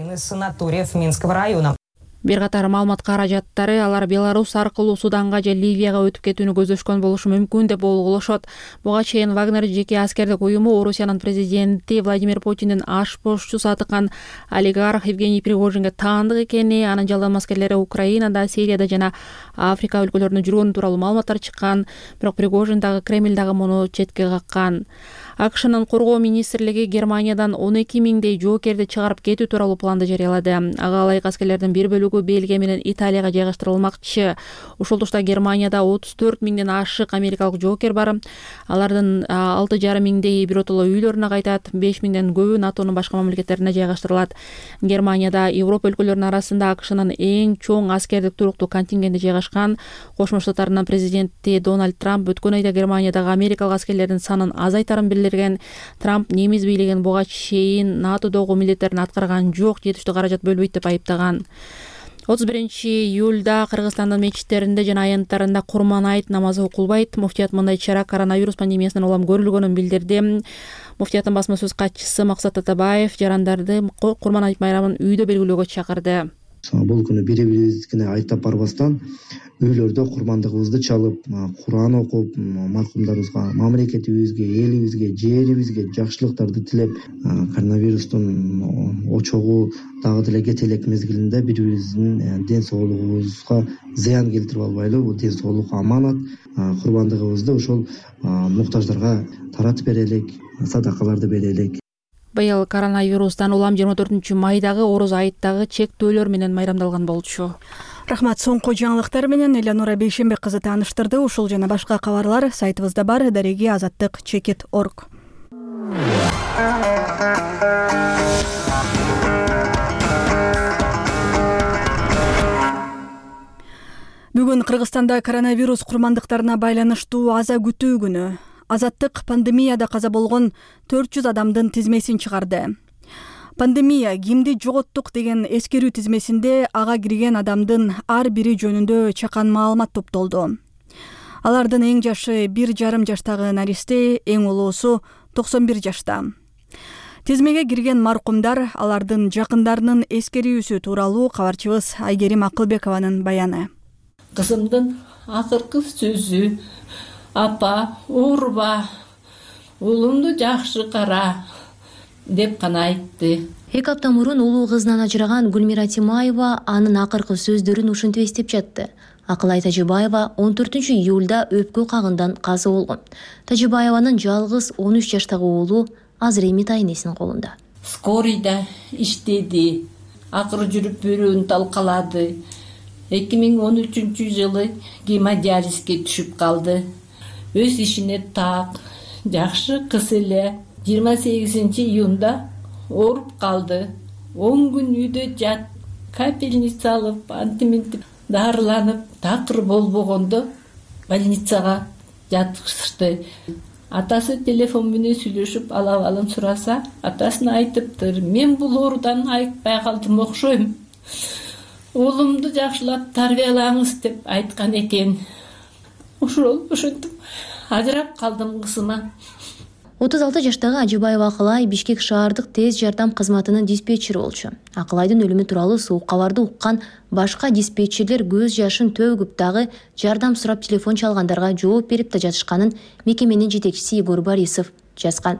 Бир катар маалымат каражаттары алар Беларусь аркылуу Суданга же Ливияга өтүп кетүүнү көздөшкөн болушу мүмкүн деп болгулошот. Буга чейин Вагнер жеке аскердик уюму Орусиянын президенти Владимир Путиндин аш бошчусу атыкан олигарх Евгений Пригожинге таандык экени, анын жалдан аскерлери Украинада, Сирияда жана Африка өлкөлөрүндө жүргөнү тууралуу маалыматтар чыккан. Бирок Пригожин дагы Кремль дагы муну четке каккан. АКШнын коргоо министрлиги Германиядан он эки миңдей жоокерди чыгарып кетүү тууралуу планды жарыялады. Ага ылайык аскерлердин бир бөлүгү Бельгия менен Италияга жайгаштырылмакчы. Ошол тушта Германияда отуз төрт миңден ашык америкалык жоокер бар. Алардын алты жарым миңдеги биротоло үйлөрүнө кайтат, беш миңден көбү НАТОнун башка мамлекеттерине жайгаштырылат. Германияда Европа өлкөлөрүнүн арасында АКШнын эң чоң аскердик туруктуу контингенти жайгашкан. Кошмо Штаттарынын президенти Дональд Трамп өткөн айда Германиядагы америкалык аскерлердин санын азайтарын билдирген. Трамп немис бийлигин буга чейин НАТОдогу милдеттерин аткарган жок, жетиштүү каражат бөлбөйт деп айыптаган. отуз биринчи июлда Кыргызстандын мечиттеринде жана аянттарында Курман айт намазы окулбайт. Муфтият мындай чара коронавирус пандемиясынан улам көрүлгөнүн билдирди. Муфтияттын басма сөз катчысы Максат Атабаев жарандарды Курман айт майрамын үйдө белгилөөгө чакырды. Бул күнү бири-бирибизге айтап барбастан үйлөрдө курмандыгыбызды чалып, Куран окуп, маркумдарыбызга, мамлекетибизге, элибизге, жерибизге жакшылыктарды тилеп, коронавирустун очогу дагы деле кете элек мезгилинде бири-бирибиздин ден соолугубузга зыян келтирип албайлы, бул ден соолук аманат. Курбандыгыбызды ошол муктаждарга таратып берелик, садакаларды берелик. Быйыл коронавирустан улам жыйырма төртүнчү майдагы Ороз айыттагы чектөөлөр менен майрамдалган болчу. Рахмат. Соңку жаңылыктар менен Элянура Бейшембек кызы тааныштырды. Ушул жана башка кабарлар сайтыбызда бар. Дареги азаттык чекит орг. Бүгүн Кыргызстанда коронавирус курмандыктарына байланыштуу аза күтүү күнү. Азаттык пандемияда каза болгон төрт жүз адамдын тизмесин чыгарды. Пандемия кимди жоготтук деген эскерүү тизмесинде ага кирген адамдын ар бири жөнүндө чакан маалымат топтолду. Алардын эң жашы бир жарым жаштагы наристе, эң улуусу токсон бир жашта. Тизмеге кирген маркумдар, алардын жакындарынын эскерүүсү тууралуу кабарчыбыз Айгерим Акылбекованын баяны. Кызымдын акыркы сөзү: апа, урба, уулумду жакшы кара деп гана айтты. Эки апта мурун улуу кызынан ажыраган Гүлмира Тимаева анын акыркы сөздөрүн ушинтип эстеп жатты. Акылай Тажибаева он төртүнчү июлда өпкө кагындан каза болгон. Тажибаеванын жалгыз он үч жаштагы уулу азыр эми тайнесинин колунда. Скорыйда иштеди, акыры жүрүп бөөрүн талкалады. эки миң он үчүнчү жылы гемодиализге түшүп калды. Өз ишине так, жакшы кыз эле. жыйырма сегизинчи июнда ооруп калды. он күн үйдө жат, капельница алып, антиминтип дарыланып, такыр болбогондо больницага жаткызышты. Атасы телефон менен сүйлөшүп алабалын сураса, атасына айтыптыр: мен бул оорудан айыкпай калдым окшойм. Уулумду жакшылап тарбиялаңыз деп айткан экен. Ошол ошентип ажырап калдым кызыма. отуз алты жаштагы Ажыбаева Акылай Бишкек шаардык тез жардам кызматынын диспетчери болчу. Акылайдын өлүмү тууралуу суук кабарды уккан башка диспетчерлер көз жашын төгүп дагы жардам сурап телефон чалгандарга жооп берип да жатышканын мекеменин жетекчиси Егор Борисов жазган.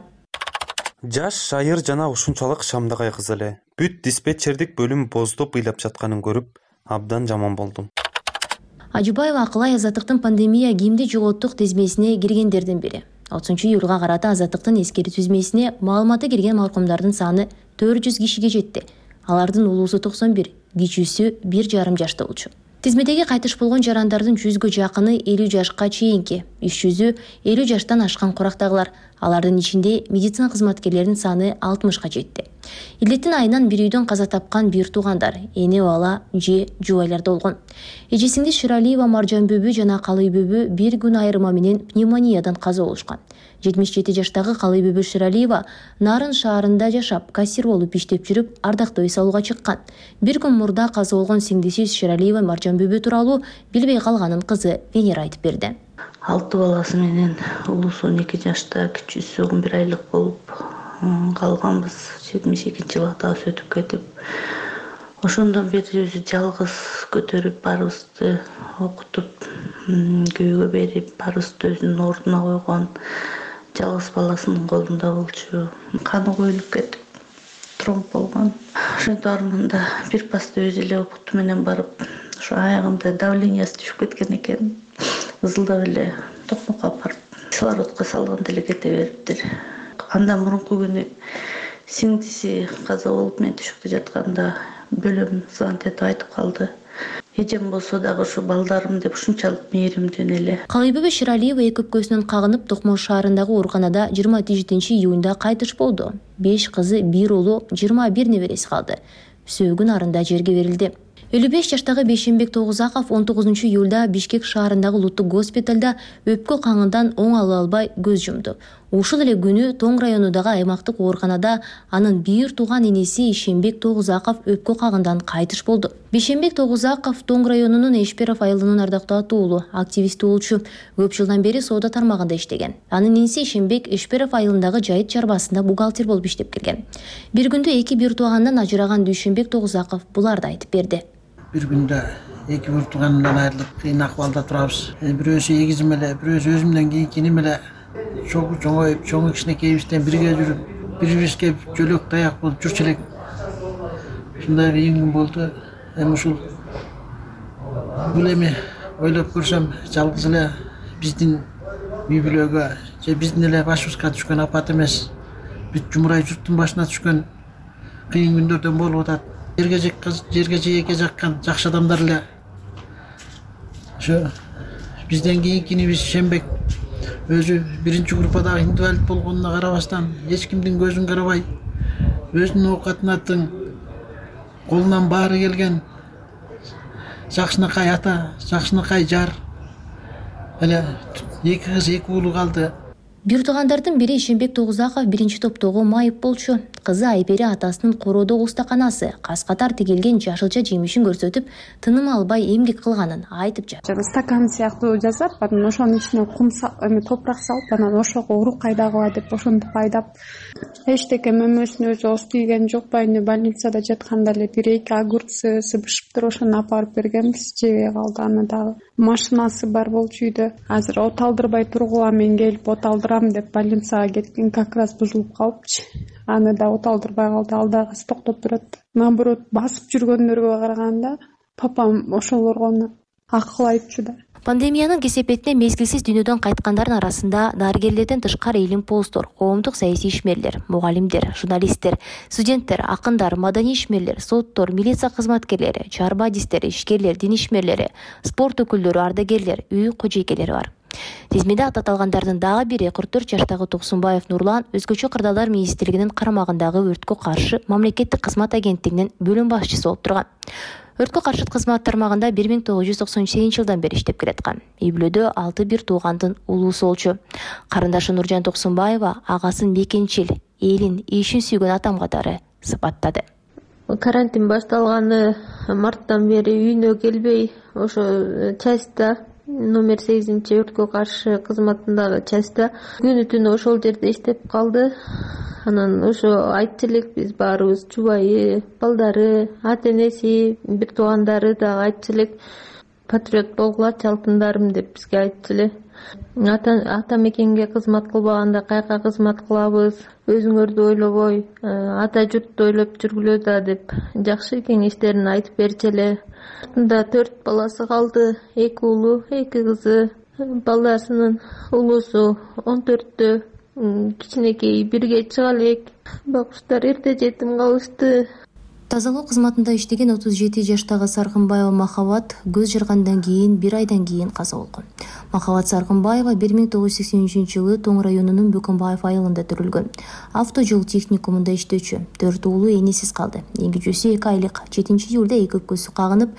Жаш, шайыр жана ушунчалык шамдагай кыз эле. бүт диспетчердик бөлүм боздоп ыйлап жатканын көрүп абдан жаман болдум. Ажыбаева Акылай Азаттыктын пандемия кимди жоготтук тизмесине киргендердин бири. отузунчу июлга карата Азаттыктын эскертүү тизмесине маалыматы кирген маркумдардын саны төрт жүз кишиге жетти. Алардын улуусу токсон бир, кичүүсү бир жарым жашта болчу. Тизмедеги кайтыш болгон жарандардын жүзгө жакыны элүү жашка чейинки, иш жүзү элүү жаштан ашкан курактагылар. Алардын ичинде медицина кызматкерлеринин саны алтымышка жетти. Илдеттин айынан бир үйдөн каза тапкан бир туугандар, эне бала же жубайларда болгон. Эжесиңиз Ширалиева Маржан Бөбү жана Калый Бөбү бир күн айырма менен пневмониядан каза болушкан. жетимиш жети жаштагы Калый Бөбү Ширалиева Нарын шаарында жашап, кассир болуп иштеп жүрүп, ардактуу эс алууга чыккан. Бир күн мурда каза болгон сиңдиси Ширалиева Маржан Бөбү тууралуу билбей калганын кызы Венера айтып берди. Алты баласы менен улуусу он эки жашта, кичүүсү он бир айлык болуп калганбыз. жетимиш экинчи жылга дагы өтүп кетип, ошондон бери өзү жалгыз көтөрүп, баарыбызды окутуп, күйөөгө берип, баарыбызды өзүнүн ордуна койгон. Жалгыз баласынын колунда болчу. Каны коюлуп кетип, тромб болгон. Ошентип арманда бир пасты өзү эле опукту менен барып, ошо аягымда давлениясы түшүп кеткен экен. Ызылдап эле токмокко алып барып, кислородко салганда эле кете бериптир. Андан мурунку күнү сиңдиси каза болуп мен түшүктө жатканда бөлөм звонок этип айтып калды. Эжем болсо дагы ушу балдарым деп ушунчалык мээримден эле. Калый Бөбү Ширалиева эки өпкөсүнөн кагынып Токмош шаарындагы ооруканада жыйырма жетинчи июнда кайтыш болду. беш кызы, бир уулу, жыйырма бир небереси калды. Сөөгүн арында жерге берилди. элүү беш жаштагы Бейшенбек Тогузаков он тогузунчу июлда Бишкек шаарындагы улуттук госпиталда өпкө каңынан оң ала албай көз жумду. Ушул эле күнү Тоң районундагы аймактык ооруканада анын бир тууган энеси Ишенбек Тогузаков өпкө кагындан кайтыш болду. Бейшенбек Тогузаков Тоң районунун Эшперов айылынын ардактуу уулу, активисти болчу. Көп жылдан бери соода тармагында иштеген. Анын энеси Ишенбек Эшперов айылындагы жайыт чарбасында бухгалтер болуп иштеп келген. Бир күндө эки бир туугандан ажыраган Дүйшөнбек Тогузаков буларды айтып берди. Бир күндө эки бир тууганымдан айрылып, кыйын акыбалда турабыз. Бирөөсү эгизим эле, бирөөсү өзүмдөн кийинки иним эле. Чогуу чоңоюп, чоң кичинекейибизден бирге жүрүп, бири-бирибизге жөлөк таяк болуп жүрчү элек. Ушундай кыйын күн болду. Эми ушул бул эми ойлоп көрсөм, жалгыз эле биздин үй бүлөгө же биздин эле башыбызга түшкөн апат эмес. Бүт жумурай журттун башына түшкөн кыйын күндөрдөн болуп атат. Жерге жерге жээкке жаккан жакшы адамдар эле. Ошо бизден кийинки инибиз Шембек өзү биринчи группадагы инвалид болгонуна карабастан, эч кимдин көзүн карабай, өзүнүн оокатынатын колунан баары келген жакшынакай ата, жакшынакай жар эле эки кыз, эки уулу калды. Бир туугандардын бири Ишенбек Тогузаков биринчи топтогу майып болчу. Кызы Айбери атасынын короодогу устаканасы кас катар тигилген жашылча жемишин көрсөтүп, тыным албай эмгек кылганын айтып жатты. Стакан сыяктуу жасап, анан ошонун ичине кум эме топурак салып, анан ошого урук кайдагыла деп ошентип айдап, эчтеке мөмөсүн өзү ооз тийген жок, байыны больницада жатканда эле бир эки огурцы бышыптыр, ошону алып барып бергенбиз, жебей калды. Аны дагы машинасы бар болчу үйдө. Азыр от алдырбай тургула, мен келип от алдырам деп больницага кеткен, как раз бузулуп калыпчы. Аны да от алдырбай калды, ал дагы токтоп турат. Наоборот, басып жүргөндөргө караганда папам ошолорго акыл айтчу да. Пандемиянын кесепетине мезгилсиз дүйнөдөн кайткандардын арасында дарыгерлерден тышкары илимпоздор, коомдук саясий ишмерлер, мугалимдер, журналисттер, студенттер, акындар, маданий ишмерлер, соттор, милиция кызматкерлери, чарба адистер, ишкерлер, дин ишмерлери, спорт өкүлдөрү, ардагерлер, үй кожойкелери бар. Тизмеде ататалгандардын дагы бири кырк төрт жаштагы Токсунбаев Нурлан Өзгөчө кырдаалдар министрлигинин карамагындагы өрткө каршы мамлекеттик кызмат агенттигинин бөлүм башчысы болуп турган. Өрткө каршы кызмат тармагында бир миң тогуз жүз токсон сегизинчи жылдан бери иштеп келаткан. Үй бүлөдө алты бир туугандын улуусу болчу. Карындашы Нуржан Токсунбаева агасын бекенчил, элин, ишин сүйгөн атам катары сыпаттады. Карантин башталганы марттан бери үйүнө келбей, ошо частьта номер сегизинчи өрткө каршы кызматындагы частьта күнү түнү ошол жерде иштеп калды. Анан ошо айтчу элек биз баарыбыз, жубайы, балдары, ата энеси, бир туугандары дагы айтчу элек. патриот болгулачы алтындарым деп бизге айтчу эле. Ата, ата мекенге кызмат кылбаганда каяка кызмат кылабыз, өзүңөрдү ойлобой, ата журтту ойлоп жүргүлө да деп жакшы кеңештерин айтып берчү эле. Анда төрт баласы калды, эки уулу, эки кызы. Баласынын улуусу он төрттө, кичинекей бирге чыга элек. Багыштар эрте жетим калышты. Тазалоо кызматында иштеген отуз жети жаштагы Саркынбаева Махабат көз жаргандан кийин бир айдан кийин каза болгон. Махабат Саркынбаева бир миң тогуз жүз сексен үчүнчү жылы Тоң районунун Бөкөнбаев айылында төрөлгөн. Автожол техникумунда иштөөчү. Төрт уулу энесиз калды. Эң кичүүсү эки айлык. жетинчи июлда эки өпкөсү кагынып,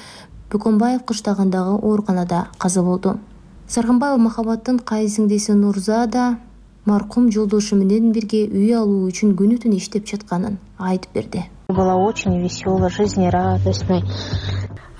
Бөкөнбаев кыштагындагы ооруканада каза болду. Саркынбаева Махабаттын кайын сиңдиси Нурза да маркум жолдошу менен бирге үй алуу үчүн күнү түнү иштеп жатканын айтып берди. Была очень веселая, жизнерадостной.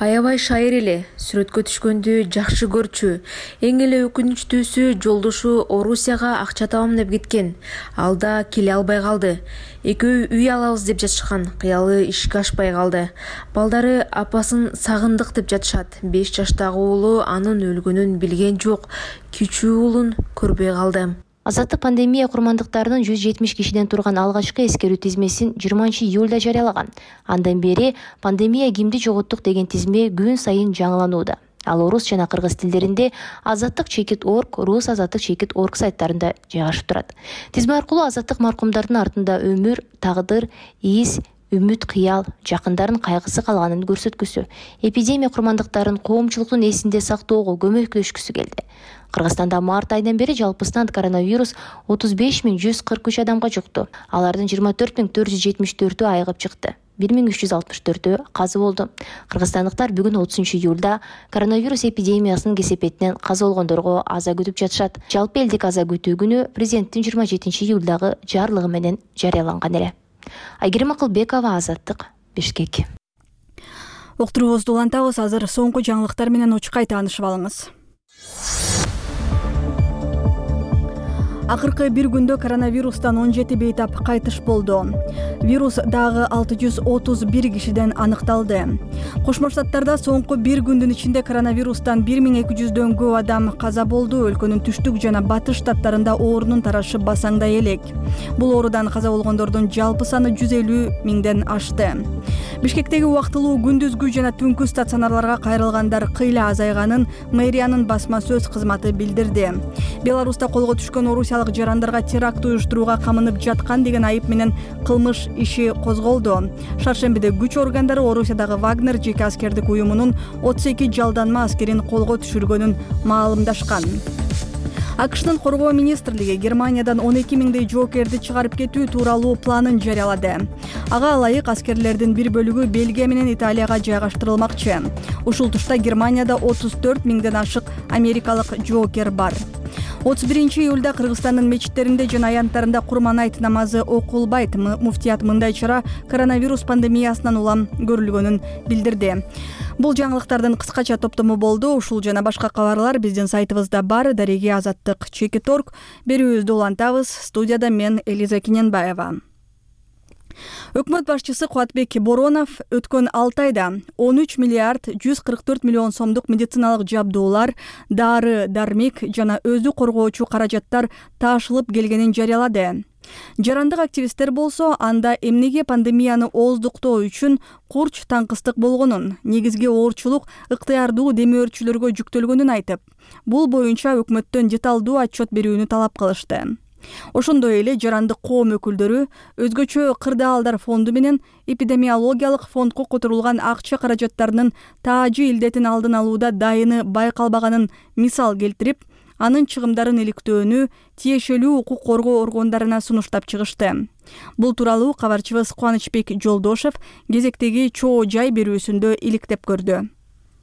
Аябай шайыр эле, сүрөткө түшкөндү жакшы көрчү. Эң эле өкүнүчтүүсү жолдошу Орусияга акча табам деп кеткен. Ал да келе албай калды. Экөө үй алабыз деп жатышкан, кыялы ишке ашпай калды. Балдары апасын сагындык деп жатышат. беш жаштагы уулу анын өлгөнүн билген жок. Кичүү уулун көрбөй калды. Азаттык пандемия курмандыктарынын жүз жетимиш кишиден турган алгачкы эскерүү тизмесин жыйырманчы июлда жарыялаган. Андан бери пандемия кимди жоготтук деген тизме күн сайын жаңыланууда. Ал орус жана кыргыз тилдеринде азаттык чекит орг, рус азаттык чекит орг сайттарында жайгашып турат. Тизме аркылуу азаттык маркумдардын артында өмүр, тагдыр, из, үмүт, кыял, жакындарын кайгысы калганын көрсөткүсү, эпидемия курмандыктарын коомчулуктун эсинде сактоого көмөктөшкүсү келди. Кыргызстанда март айынан бери жалпысынан коронавирус отуз беш миң жүз кырк үч адамга жукту. Алардын жыйырма төрт миң төрт жүз жетимиш төртү айыгып чыкты. бир миң үч жүз алтымыш төртү каза болду. Кыргызстандыктар бүгүн отузунчу июлда коронавирус эпидемиясынын кесепетинен каза болгондорго аза күтүп жатышат. Жалпы элдик аза күтүү күнү президенттин жыйырма жетинчи июлдагы жарлыгы менен жарыяланган эле. Айгерим Акылбекова, Азаттык, Бишкек. Уктуруубузду улантабыз. Азыр соңку жаңылыктар менен учкай таанышып алыңыз. Акыркы бир күндө коронавирустан он жети бейтап кайтыш болду. Вирус дагы алты жүз отуз бир кишиден аныкталды. Кошмо Штаттарда соңку бир күндүн ичинде коронавирустан бир миң эки жүздөн көп адам каза болду. Өлкөнүн түштүк жана батыш штаттарында оорунун тарашы басаңдай элек. Бул оорудан каза болгондордун жалпы саны жүз элүү миңден ашты. Бишкектеги убактылуу күндүзгү жана түнкү стационарларга кайрылгандар кыйла азайганын мэриянын басма сөз кызматы билдирди. Беларуста колго түшкөн орусиялык жарандарга теракт уюштурууга камынып жаткан деген айып менен кылмыш иши козголду. Шаршембиде күч органдары Орусиядагы Вагнер жеке аскердик уюмунун отуз эки жалданма аскерин колго түшүргөнүн маалымдашкан. АКШнын коргоо министрлиги Германиядан он эки миңдей жоокерди чыгарып кетүү тууралуу планын жарыялады. Ага ылайык аскерлердин бир бөлүгү Бельгия менен Италияга жайгаштырылмакчы. Ушул тушта Германияда отуз төрт миңден ашык америкалык жоокер бар. отуз биринчи июлда Кыргызстандын мечиттеринде жана аянттарында Курман айт намазы окулбайт. Муфтият мындай чара коронавирус пандемиясынан улам көрүлгөнүн билдирди. Бул жаңылыктардын кыскача топтому болду. Ушул жана башка кабарлар биздин сайтыбызда бар. Дареги азаттык чекит орг. Берүүбүздү улантабыз. Студияда мен Элиза Киненбаева. Өкмөт башчысы Кубатбек Боронов өткөн алты айда он үч миллиард жүз кырк төрт миллион сомдук медициналык жабдуулар, дары, дармек жана өзү коргоочу каражаттар таашылып келгенин жарыялады. Жарандык активисттер болсо анда эмнеге пандемияны ооздуктоо үчүн курч таңкыстык болгонун, негизги оорчулук ыктыярдуу демөөрчүлөргө жүктөлгөнүн айтып, бул боюнча өкмөттөн деталдуу отчет берүүнү талап кылышты. Ошондой эле жарандык коом өкүлдөрү өзгөчө кырдаалдар фонду менен эпидемиологиялык фондко которулган акча каражаттарынын таажы илдетин алдын алууда дайыны байкалбаганын мисал келтирип, анын чыгымдарын иликтөөнү тиешелүү укук коргоо органдарына сунуштап чыгышты. Бул тууралуу кабарчыбыз Кубанычбек Жолдошев кезектеги чоо жай берүүсүндө иликтеп көрдү.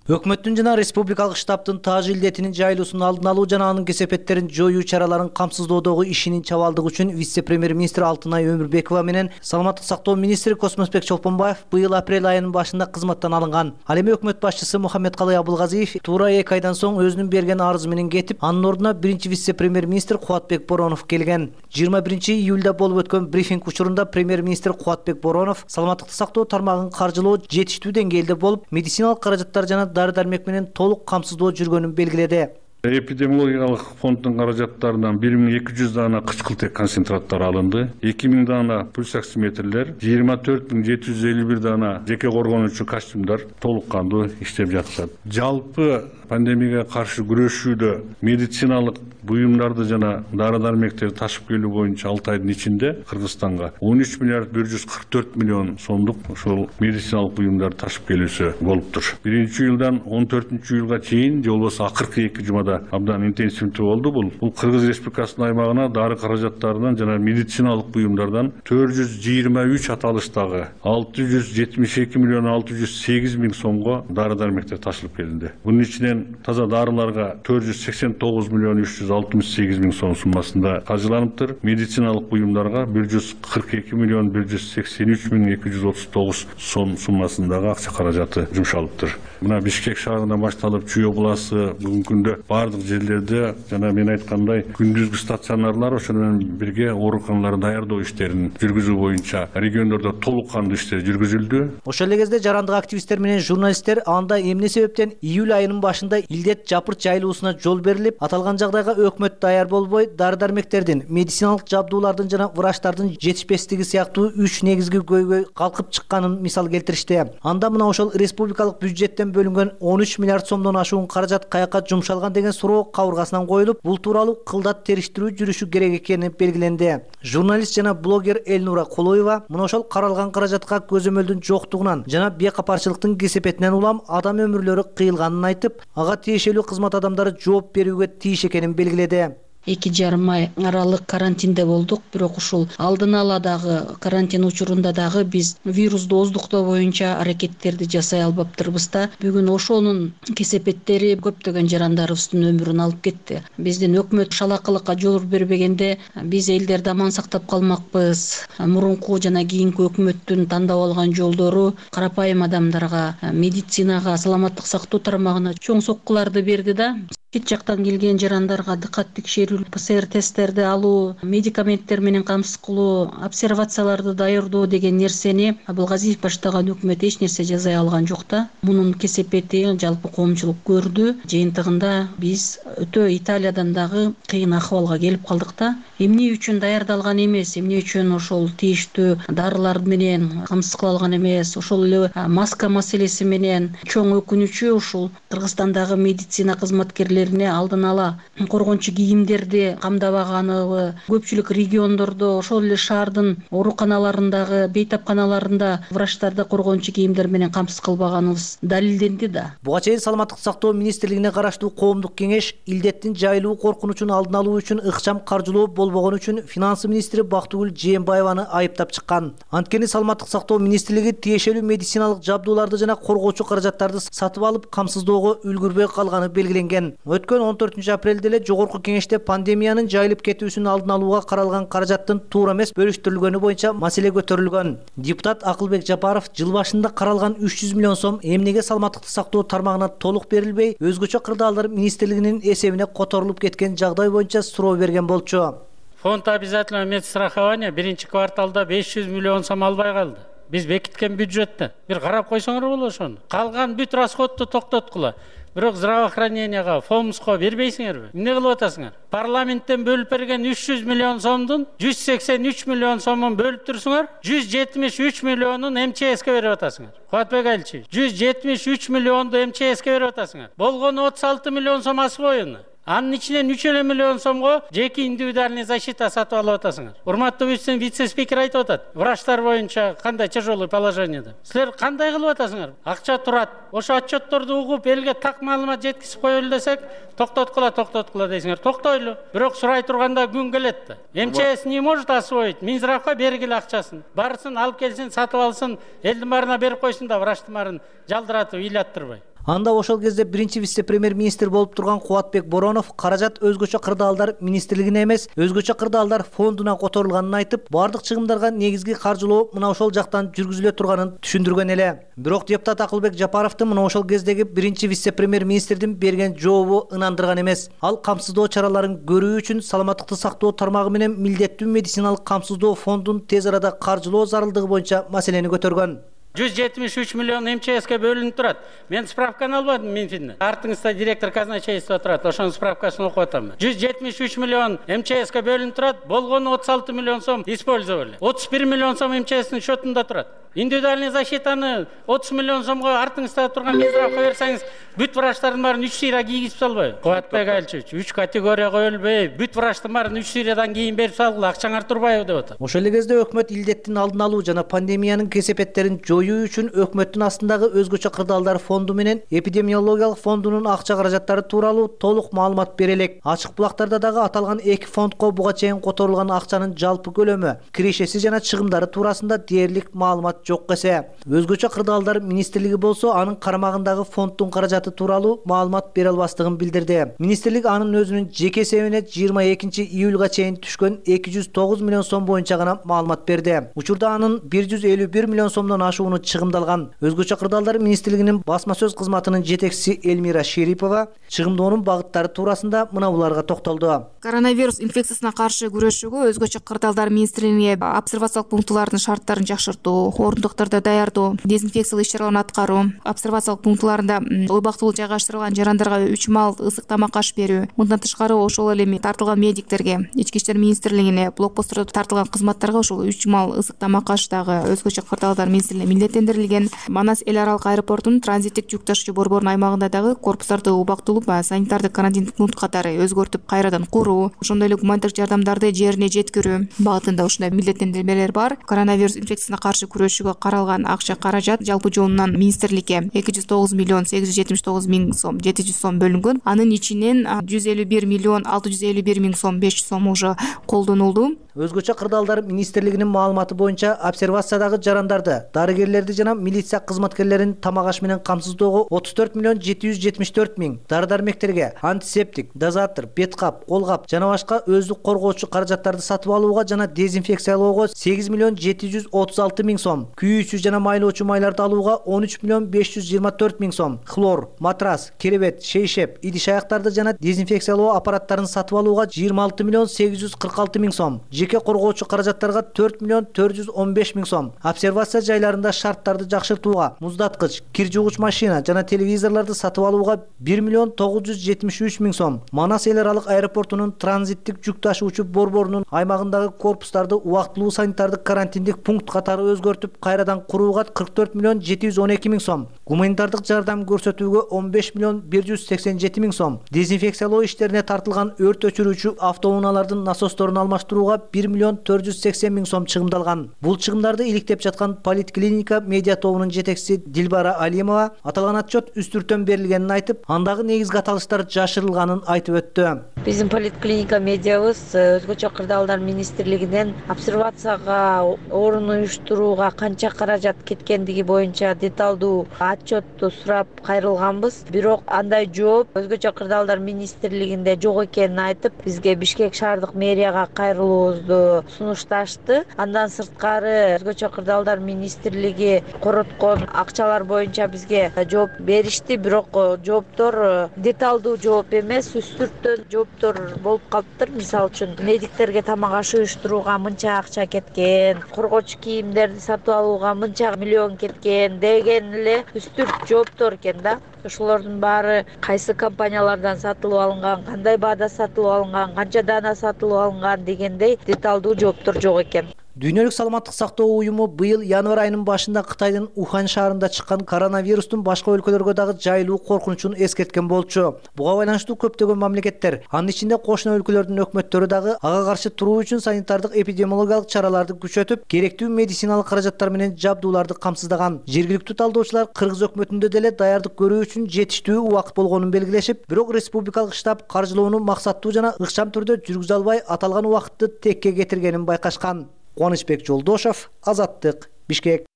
Өкмөттүн жана республикалык штабтын таажы илдетинин жайылуусун алдын алуу жана анын кесепеттерин жоюу чараларын камсыздоодогу ишинин чабалдыгы үчүн вице-премьер-министр Алтынай Өмүрбекова менен саламаттык сактоо министри Космосбек Чолпонбаев быйыл апрель айынын башында кызматтан алынган. Ал эми өкмөт башчысы Мухаммедкалый Абылгазиев туура эки айдан соң өзүнүн берген арызы менен кетип, анын ордуна биринчи вице-премьер-министр Кубатбек Боронов келген. жыйырма биринчи июлда болуп өткөн брифинг учурунда премьер-министр Кубатбек Боронов саламаттыкты сактоо тармагын каржылоо жетиштүү деңгээлде болуп, медициналык каражаттар жана дары дармек менен толук камсыздоо жүргөнүн белгиледи. Эпидемиологиялык фонддун каражаттарынан бир миң эки жүз даана кычкылтек концентраттары алынды. эки миң даана пульс оксиметрлер, жыйырма төрт миң жети жүз элүү бир даана жеке коргонуучу костюмдар толук кандуу иштеп жатышат. Жалпы пандемияга каршы күрөшүүдө медициналык буюмдарды жана дары дармектерди ташып келүү боюнча алты айдын ичинде Кыргызстанга он үч миллиард бир жүз кырк төрт миллион сомдук ошол медициналык буюмдарды ташып келүүсү болуптур. Биринчи июлдан он төртүнчү июлга чейин же болбосо акыркы эки жумада абдан интенсивдүү болду. Бул бул Кыргыз Республикасынын аймагына дары каражаттарынан жана медициналык буюмдардан төрт жүз жыйырма үч аталыштагы алты жүз жетимиш эки миллион алты жүз сегиз миң сомго дары дармектер ташылып келинди. Бунун ичинен таза дарыларга төрт жүз сексен тогуз миллион үч жүз алтымыш сегиз миң сом суммасында каржыланыптыр. Медициналык буюмдарга бир жүз кырк эки миллион бир жүз сексен үч миң эки жүз отуз тогуз сом суммасындагы акча каражаты жумшалыптыр. Мына Бишкек шаарынан башталып Чүй областы бүгүнкү күндө бардык жерлерде жана мен айткандай күндүзгү стационарлар ошону менен бирге ооруканаларды даярдоо иштерин жүргүзүү боюнча региондордо толук кандуу иштер жүргүзүлдү. Ошол эле кезде жарандык активисттер менен журналисттер анда эмне себептен июль айынын башында илдет жапырт жайылуусуна жол берилип, аталган жагдайга өкмөт даяр болбой, дары дармектердин, медициналык жабдуулардын жана врачтардын жетишпестиги сыяктуу үч негизги көйгөй калкып чыкканын мисал келтиришти. Анда мына ошол республикалык бюджеттен бөлүнгөн он үч миллиард сомдон ашуун каражат каяка жумшалган деген суроо кабыргасынан коюлуп, бул тууралуу кылдат териштирүү жүрүшү керек экени белгиленди. Журналист жана блогер Элнура Колоева мына ошол каралган каражатка көзөмөлдүн жоктугунан жана бейкапарчылыктын кесепетинен улам адам өмүрлөрү кыйылганын айтып, ага тиешелүү кызмат адамдары жооп берүүгө тийиш экенин белгиледи. эки жарым ай аралык карантинде болдук, бирок ушул алдын ала дагы карантин учурунда дагы биз вирусту оздуктоо боюнча аракеттерди жасай албаптырбыз да. Бүгүн ошонун кесепеттери көптөгөн жарандарыбыздын өмүрүн алып кетти. Биздин өкмөт шалакылыкка жол бербегенде биз элдерди аман сактап калмакпыз. Мурунку жана кийинки өкмөттүн тандап алган жолдору карапайым адамдарга, медицинага, саламаттык сактоо тармагына чоң соккуларды берди да. Чет жактан келген жарандарга дыкат текшерүү, ПЦР тесттерди алуу, медикаменттер менен камсыз кылуу, обсервацияларды даярдоо деген нерсени Абылгазиев баштаган өкмөт эч нерсе жасай алган жок да. Мунун кесепети жалпы коомчулук көрдү. Жыйынтыгында биз өтө Италиядан дагы кыйын акыбалга келип калдык да. Эмне үчүн даярдалган эмес, эмне үчүн ошол тийиштүү дарылар менен камсыз кыла алган эмес, ошол эле маска маселеси менен чоң өкүнүчү ушул Кыргызстандагы медицина кызматкерлерине алдын ала коргончу кийимдерди камдабаганы, көпчүлүк региондордо ошол эле шаардын ооруканаларындагы, бейтапканаларында врачтарды коргончу кийимдер менен камсыз кылбаганыбыз далилденди да. Буга чейин Саламаттык сактоо министрлигине караштуу коомдук кеңеш илдеттин жайылуу коркунучун алдын алуу үчүн ыкчам каржылоо болбогон үчүн финансы министри Бактыгүл Жээнбаеваны айыптап чыккан. Анткени Саламаттык сактоо министрлиги тиешелүү медициналык жабдууларды жана коргоочу каражаттарды сатып алып камсыздоого үлгүрбөй калганы белгиленген. Өткөн он төртүнчү апрелде эле жогорку кеңеште пандемиянын жайылып кетүүсүн алдын алууга каралган каражаттын туура эмес бөлүштүрүлгөнү боюнча маселе көтөрүлгөн. Депутат Акылбек Жапаров жыл башында каралган үч жүз миллион сом эмнеге саламаттыкты сактоо тармагына толук берилбей, өзгөчө кырдаалдар министрлигинин эсебине которулуп кеткен жагдай боюнча суроо берген болчу. Фонд обязательного медстрахования биринчи кварталда беш жүз миллион сом албай калды. Биз бекиткен бюджетте. Бир карап койсоңор болот ошону. Калган бүт расходду токтоткула. Бирок здравоохраненияга, фомско бербейсиңерби? Эмне кылып атасыңар? Парламенттен бөлүп берген үч жүз миллион сомдун жүз сексен үч миллион сомун бөлүп турсуңар, жүз жетимиш үч миллионун эм че эске берип атасыңар. Кубатбек Аличевич, жүз жетимиш үч миллионду эм че эске берип атасыңар. Болгону отуз алты миллион сом асыл оюну. Анын ичинен үч эле миллион сомго жеке индивидуальный защита сатып алып атасыңар. Урматтуу вице-спикер айтып атат, врачтар боюнча кандай тяжелый положениеде. Силер кандай кылып атасыңар? Акча турат. Ошо отчетторду угуп, элге так маалымат жеткизип коелу десек, токтоткула, токтоткула дейсиңер. Токтойлу. Бирок сурай турганда күн келет да. эм че эс не может освоить. Минздравга бергиле акчасын. Барсын, алып келсин, сатып алсын, элдин баарына берип койсун да врачтын баарын жалдыратып, ыйлаттырбай. Анда ошол кезде биринчи вице-премьер-министр болуп турган Кубатбек Боронов каражат өзгөчө кырдаалдар министрлигине эмес, өзгөчө кырдаалдар фондуна которулганын айтып, бардык чыгымдарга негизги каржылоо мына ошол жактан жүргүзүлө турганын түшүндүргөн эле. Бирок депутат Акылбек Жапаровдун мына ошол кездеги биринчи вице-премьер-министрдин берген жообу ынандырган эмес. Ал камсыздоо чараларын көрүү үчүн саламаттыкты сактоо тармагы менен милдеттүү медициналык камсыздоо фондун тез арада каржылоо зарылдыгы боюнча маселени көтөргөн. жүз жетимиш үч миллион эм че эске бөлүнүп турат. Мен справканы албадым Минфинден. Артыңызда директор казначейства турат, ошонун справкасын окуп атам. жүз жетимиш үч миллион эм че эске бөлүнүп турат, болгону отуз алты миллион сом использовали. отуз бир миллион сом эм че эстин счетунда турат. Индивидуальный защитаны отуз миллион сомго артыңызда турган Минздравка берсеңиз, бүт врачтардын баарын үч сыйра кийгизип салбайбы? Кубатбек Айлчевич, үч категорияга бөлбөй, бүт врачтын баарын үч сыйрадан кийин берип салгыла, акчаңар турбайбы деп атат. Ошол эле кезде өкмөт илдеттин алдын алуу жана пандемиянын кесепеттерин жоюу үчүн өкмөттүн астындагы өзгөчө кырдаалдар фонду менен эпидемиологиялык фондунун акча каражаттары тууралуу толук маалымат бере элек. Ачык булактарда дагы аталган эки фондко буга чейин которулган акчанын жалпы көлөмү, кирешеси жана чыгымдары туурасында дээрлик маалымат жок эсе. Өзгөчө кырдаалдар министрлиги болсо анын карамагындагы фонддун каражаты тууралуу маалымат бере албастыгын билдирди. Министрлик анын өзүнүн жеке эсебине жыйырма экинчи июлга чейин түшкөн эки жүз тогуз миллион сом боюнча гана маалымат берди. Учурда анын бир жүз элүү бир миллион сомдон ашууну чыгымдалган. Өзгөчө кырдаалдар министрлигинин басма сөз кызматынын жетекчиси Эльмира Шерипова чыгымдоонун багыттары туурасында мына буларга токтолду. Коронавирус инфекциясына каршы күрөшүүгө өзгөчө кырдаалдар министрлигине обсервациялык пунктулардын шарттарын жакшыртуу, орундуктарды даярдоо, дезинфекциялык иш-чараларды аткаруу, обсервациялык пунктуларында убактылуу жайгаштырылган жарандарга үч маал ысык тамак аш берүү. Мындан тышкары ошол эле тартылган медиктерге, Ички иштер министрлигине, блокпосттордо тартылган кызматтарга ошол үч маал ысык тамак аш дагы өзгөчө кырдаалдар министрлигине милдеттендирилген. Манас эл аралык аэропортунун транзиттик жүк ташуучу борборунун аймагында дагы корпустарды убактылуу санитардык карантиндик пункт катары өзгөртүп кайрадан куруу, ошондой эле гуманитардык жардамдарды жерине жеткирүү багытында ушундай милдеттендирмелер бар. Коронавирус инфекциясына каршы күрөшүүгө каралган акча каражат жалпы жонунан министрликке эки жүз тогуз миллион сегиз жүз жетимиш тогуз миң сом жети жүз сом бөлүнгөн. Анын ичинен жүз элүү бир миллион алты жүз элүү бир миң сом беш жүз сом уже колдонулду. Өзгөчө кырдаалдар министрлигинин маалыматы боюнча обсервациядагы жарандарды, дарыгерлерди жана милиция кызматкерлерин тамак аш менен камсыздоого отуз төрт миллион жети жүз жетимиш төрт миң, дары-дармектерге, антисептик, дозатор, бет кап, кол кап жана башка өздүк коргоочу каражаттарды сатып алууга жана дезинфекциялоого сегиз миллион жети жүз отуз алты миң сом, күйүүчү жана майлоочу майларды алууга он үч миллион беш жүз жыйырма төрт миң сом, хлор, матрас, керебет, шейшеп, идиш аяктарды жана дезинфекциялоо аппараттарын сатып алууга жыйырма алты миллион сегиз жүз кырк алты миң сом, жеке коргоочу каражаттарга төрт миллион төрт жүз он беш миң сом, обсервация жайларында шарттарды жакшыртууга, муздаткыч, кир жуугуч машина жана телевизорлорду сатып алууга бир миллион тогуз жүз жетимиш үч миң сом, Манас эл аралык аэропортунун транзиттик жүк ташуучу борборунун аймагындагы корпустарды убактылуу санитардык карантиндик пункт катары өзгөртүп кайрадан курууга кырк төрт миллион жети жүз он эки миң сом, гуманитардык жардам көрсөтүүгө он беш миллион бир жүз сексен жети миң сом, дезинфекциялоо иштерине тартылган өрт өчүрүүчү автоунаалардын насосторун алмаштырууга бир миллион төрт жүз сексен миң сом чыгымдалган. Бул чыгымдарды иликтеп жаткан Политклиника медиа тобунун жетекчиси Дилбара Алимова аталган отчет үстүртөн берилгенин айтып, андагы негизги аталыштар жашырылганын айтып өттү. Биздин Политклиника медиабыз өзгөчө кырдаалдар министрлигинен обсервацияга орун уюштурууга канча каражат кеткендиги боюнча деталдуу отчетту сурап кайрылганбыз. Бирок андай жооп өзгөчө кырдаалдар министрлигинде жок экенин айтып, бизге Бишкек шаардык мэрияга кайрылуубузду сунушташты. Андан сырткары өзгөчө кырдаалдар министрлиги короткон акчалар боюнча бизге жооп беришти, бирок жооптор деталдуу жооп эмес, үстүртөн жооптор болуп калыптыр. Мисалы үчүн медиктерге тамак аш уюштурууга мынча акча кеткен, коргоочу кийимдерди сатып алууга мынча миллион кеткен деген эле үстүрт жооптор экен да. Ошолордун баары кайсы компаниялардан сатылып алынган, кандай баада сатылып алынган, канча даана сатылып алынган дегендей деталдуу жооптор жок экен. Дүйнөлүк саламаттык сактоо уюму быйыл январь айынын башында Кытайдын Ухань шаарында чыккан коронавирустун башка өлкөлөргө дагы жайылуу коркунучун эскерткен болчу. Буга байланыштуу көптөгөн мамлекеттер, анын ичинде кошуна өлкөлөрдүн өкмөттөрү дагы ага каршы туруу үчүн санитардык эпидемиологиялык чараларды күчөтүп, керектүү медициналык каражаттар менен жабдууларды камсыздаган. Жергиликтүү талдоочулар Кыргыз өкмөтүндө деле даярдык көрүү үчүн жетиштүү убакыт болгонун белгилешип, бирок республикалык штаб каржылоону максаттуу жана ыкчам түрдө жүргүзө албай, аталган убакытты текке кетиргенин байкашкан. Кубанычбек Жолдошов, Азаттык, Бишкек.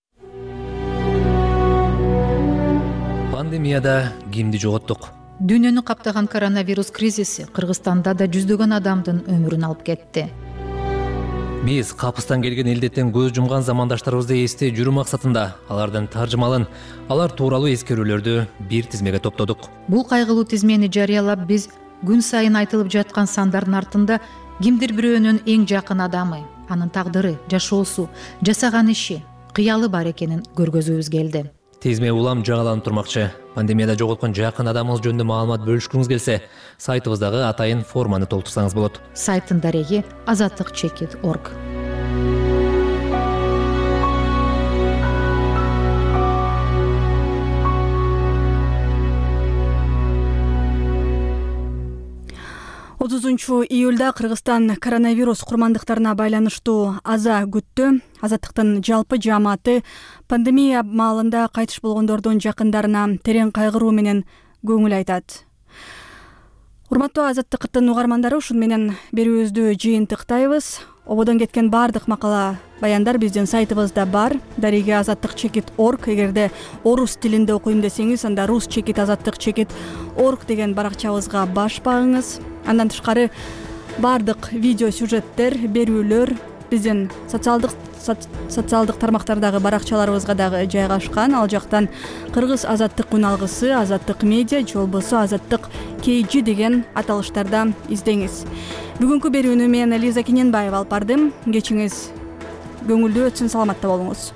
Пандемияда кимди жоготтук? Дүйнөнү каптаган коронавирус кризиси Кыргызстанда да жүздөгөн адамдын өмүрүн алып кетти. Биз капыстан келген илдеттен көз жумган замандаштарыбызды эстей жүрүү максатында алардын таржымалын, алар тууралуу эскерүүлөрдү бир тизмеге топтодук. Бул кайгылуу тизмени жарыялап, биз күн сайын айтылып жаткан сандардын артында кимдир бирөөнүн эң жакын адамы, анын тагдыры, жашоосу, жасаган иши, кыялы бар экенин көргөзүүбүз келди. Тизме улам жаңыланып турмакчы. Пандемияда жоготкон жакын адамыңыз жөнүндө маалымат бөлүшкүңүз келсе, сайтыбыздагы атайын форманы толтурсаңыз болот. Сайттын дареги азаттык чекит точка орг. отузунчу июлда Кыргызстан коронавирус курмандыктарына байланыштуу аза күттү. Азаттыктын жалпы жааматы пандемия маалында кайтыш болгондордун жакындарына терең кайгыруу менен көңүл айтат. Урматтуу Азаттыктын угармандары, ушун менен берүүбүздү жыйынтыктайбыз. Ободон кеткен бардык макала баяндар биздин сайтыбызда бар. Дареги азаттык чекит точка орг. Эгерде орус тилинде окуйм десеңиз, анда рус чекит азаттык чекит точка орг деген баракчабызга баш багыңыз. Андан тышкары бардык видео сюжеттер, берүүлөр биздин социалдык социалдык тармактардагы баракчаларыбызга дагы жайгашкан. Ал жактан кыргыз азаттык күн алгысы, азаттык медиа же болбосо азаттык kg деген аталыштарда издеңиз. Бүгүнкү берүүнү мен Лиза Киненбаева алып бардым. Кечиңиз көңүлдүү өтсүн, саламатта болуңуз.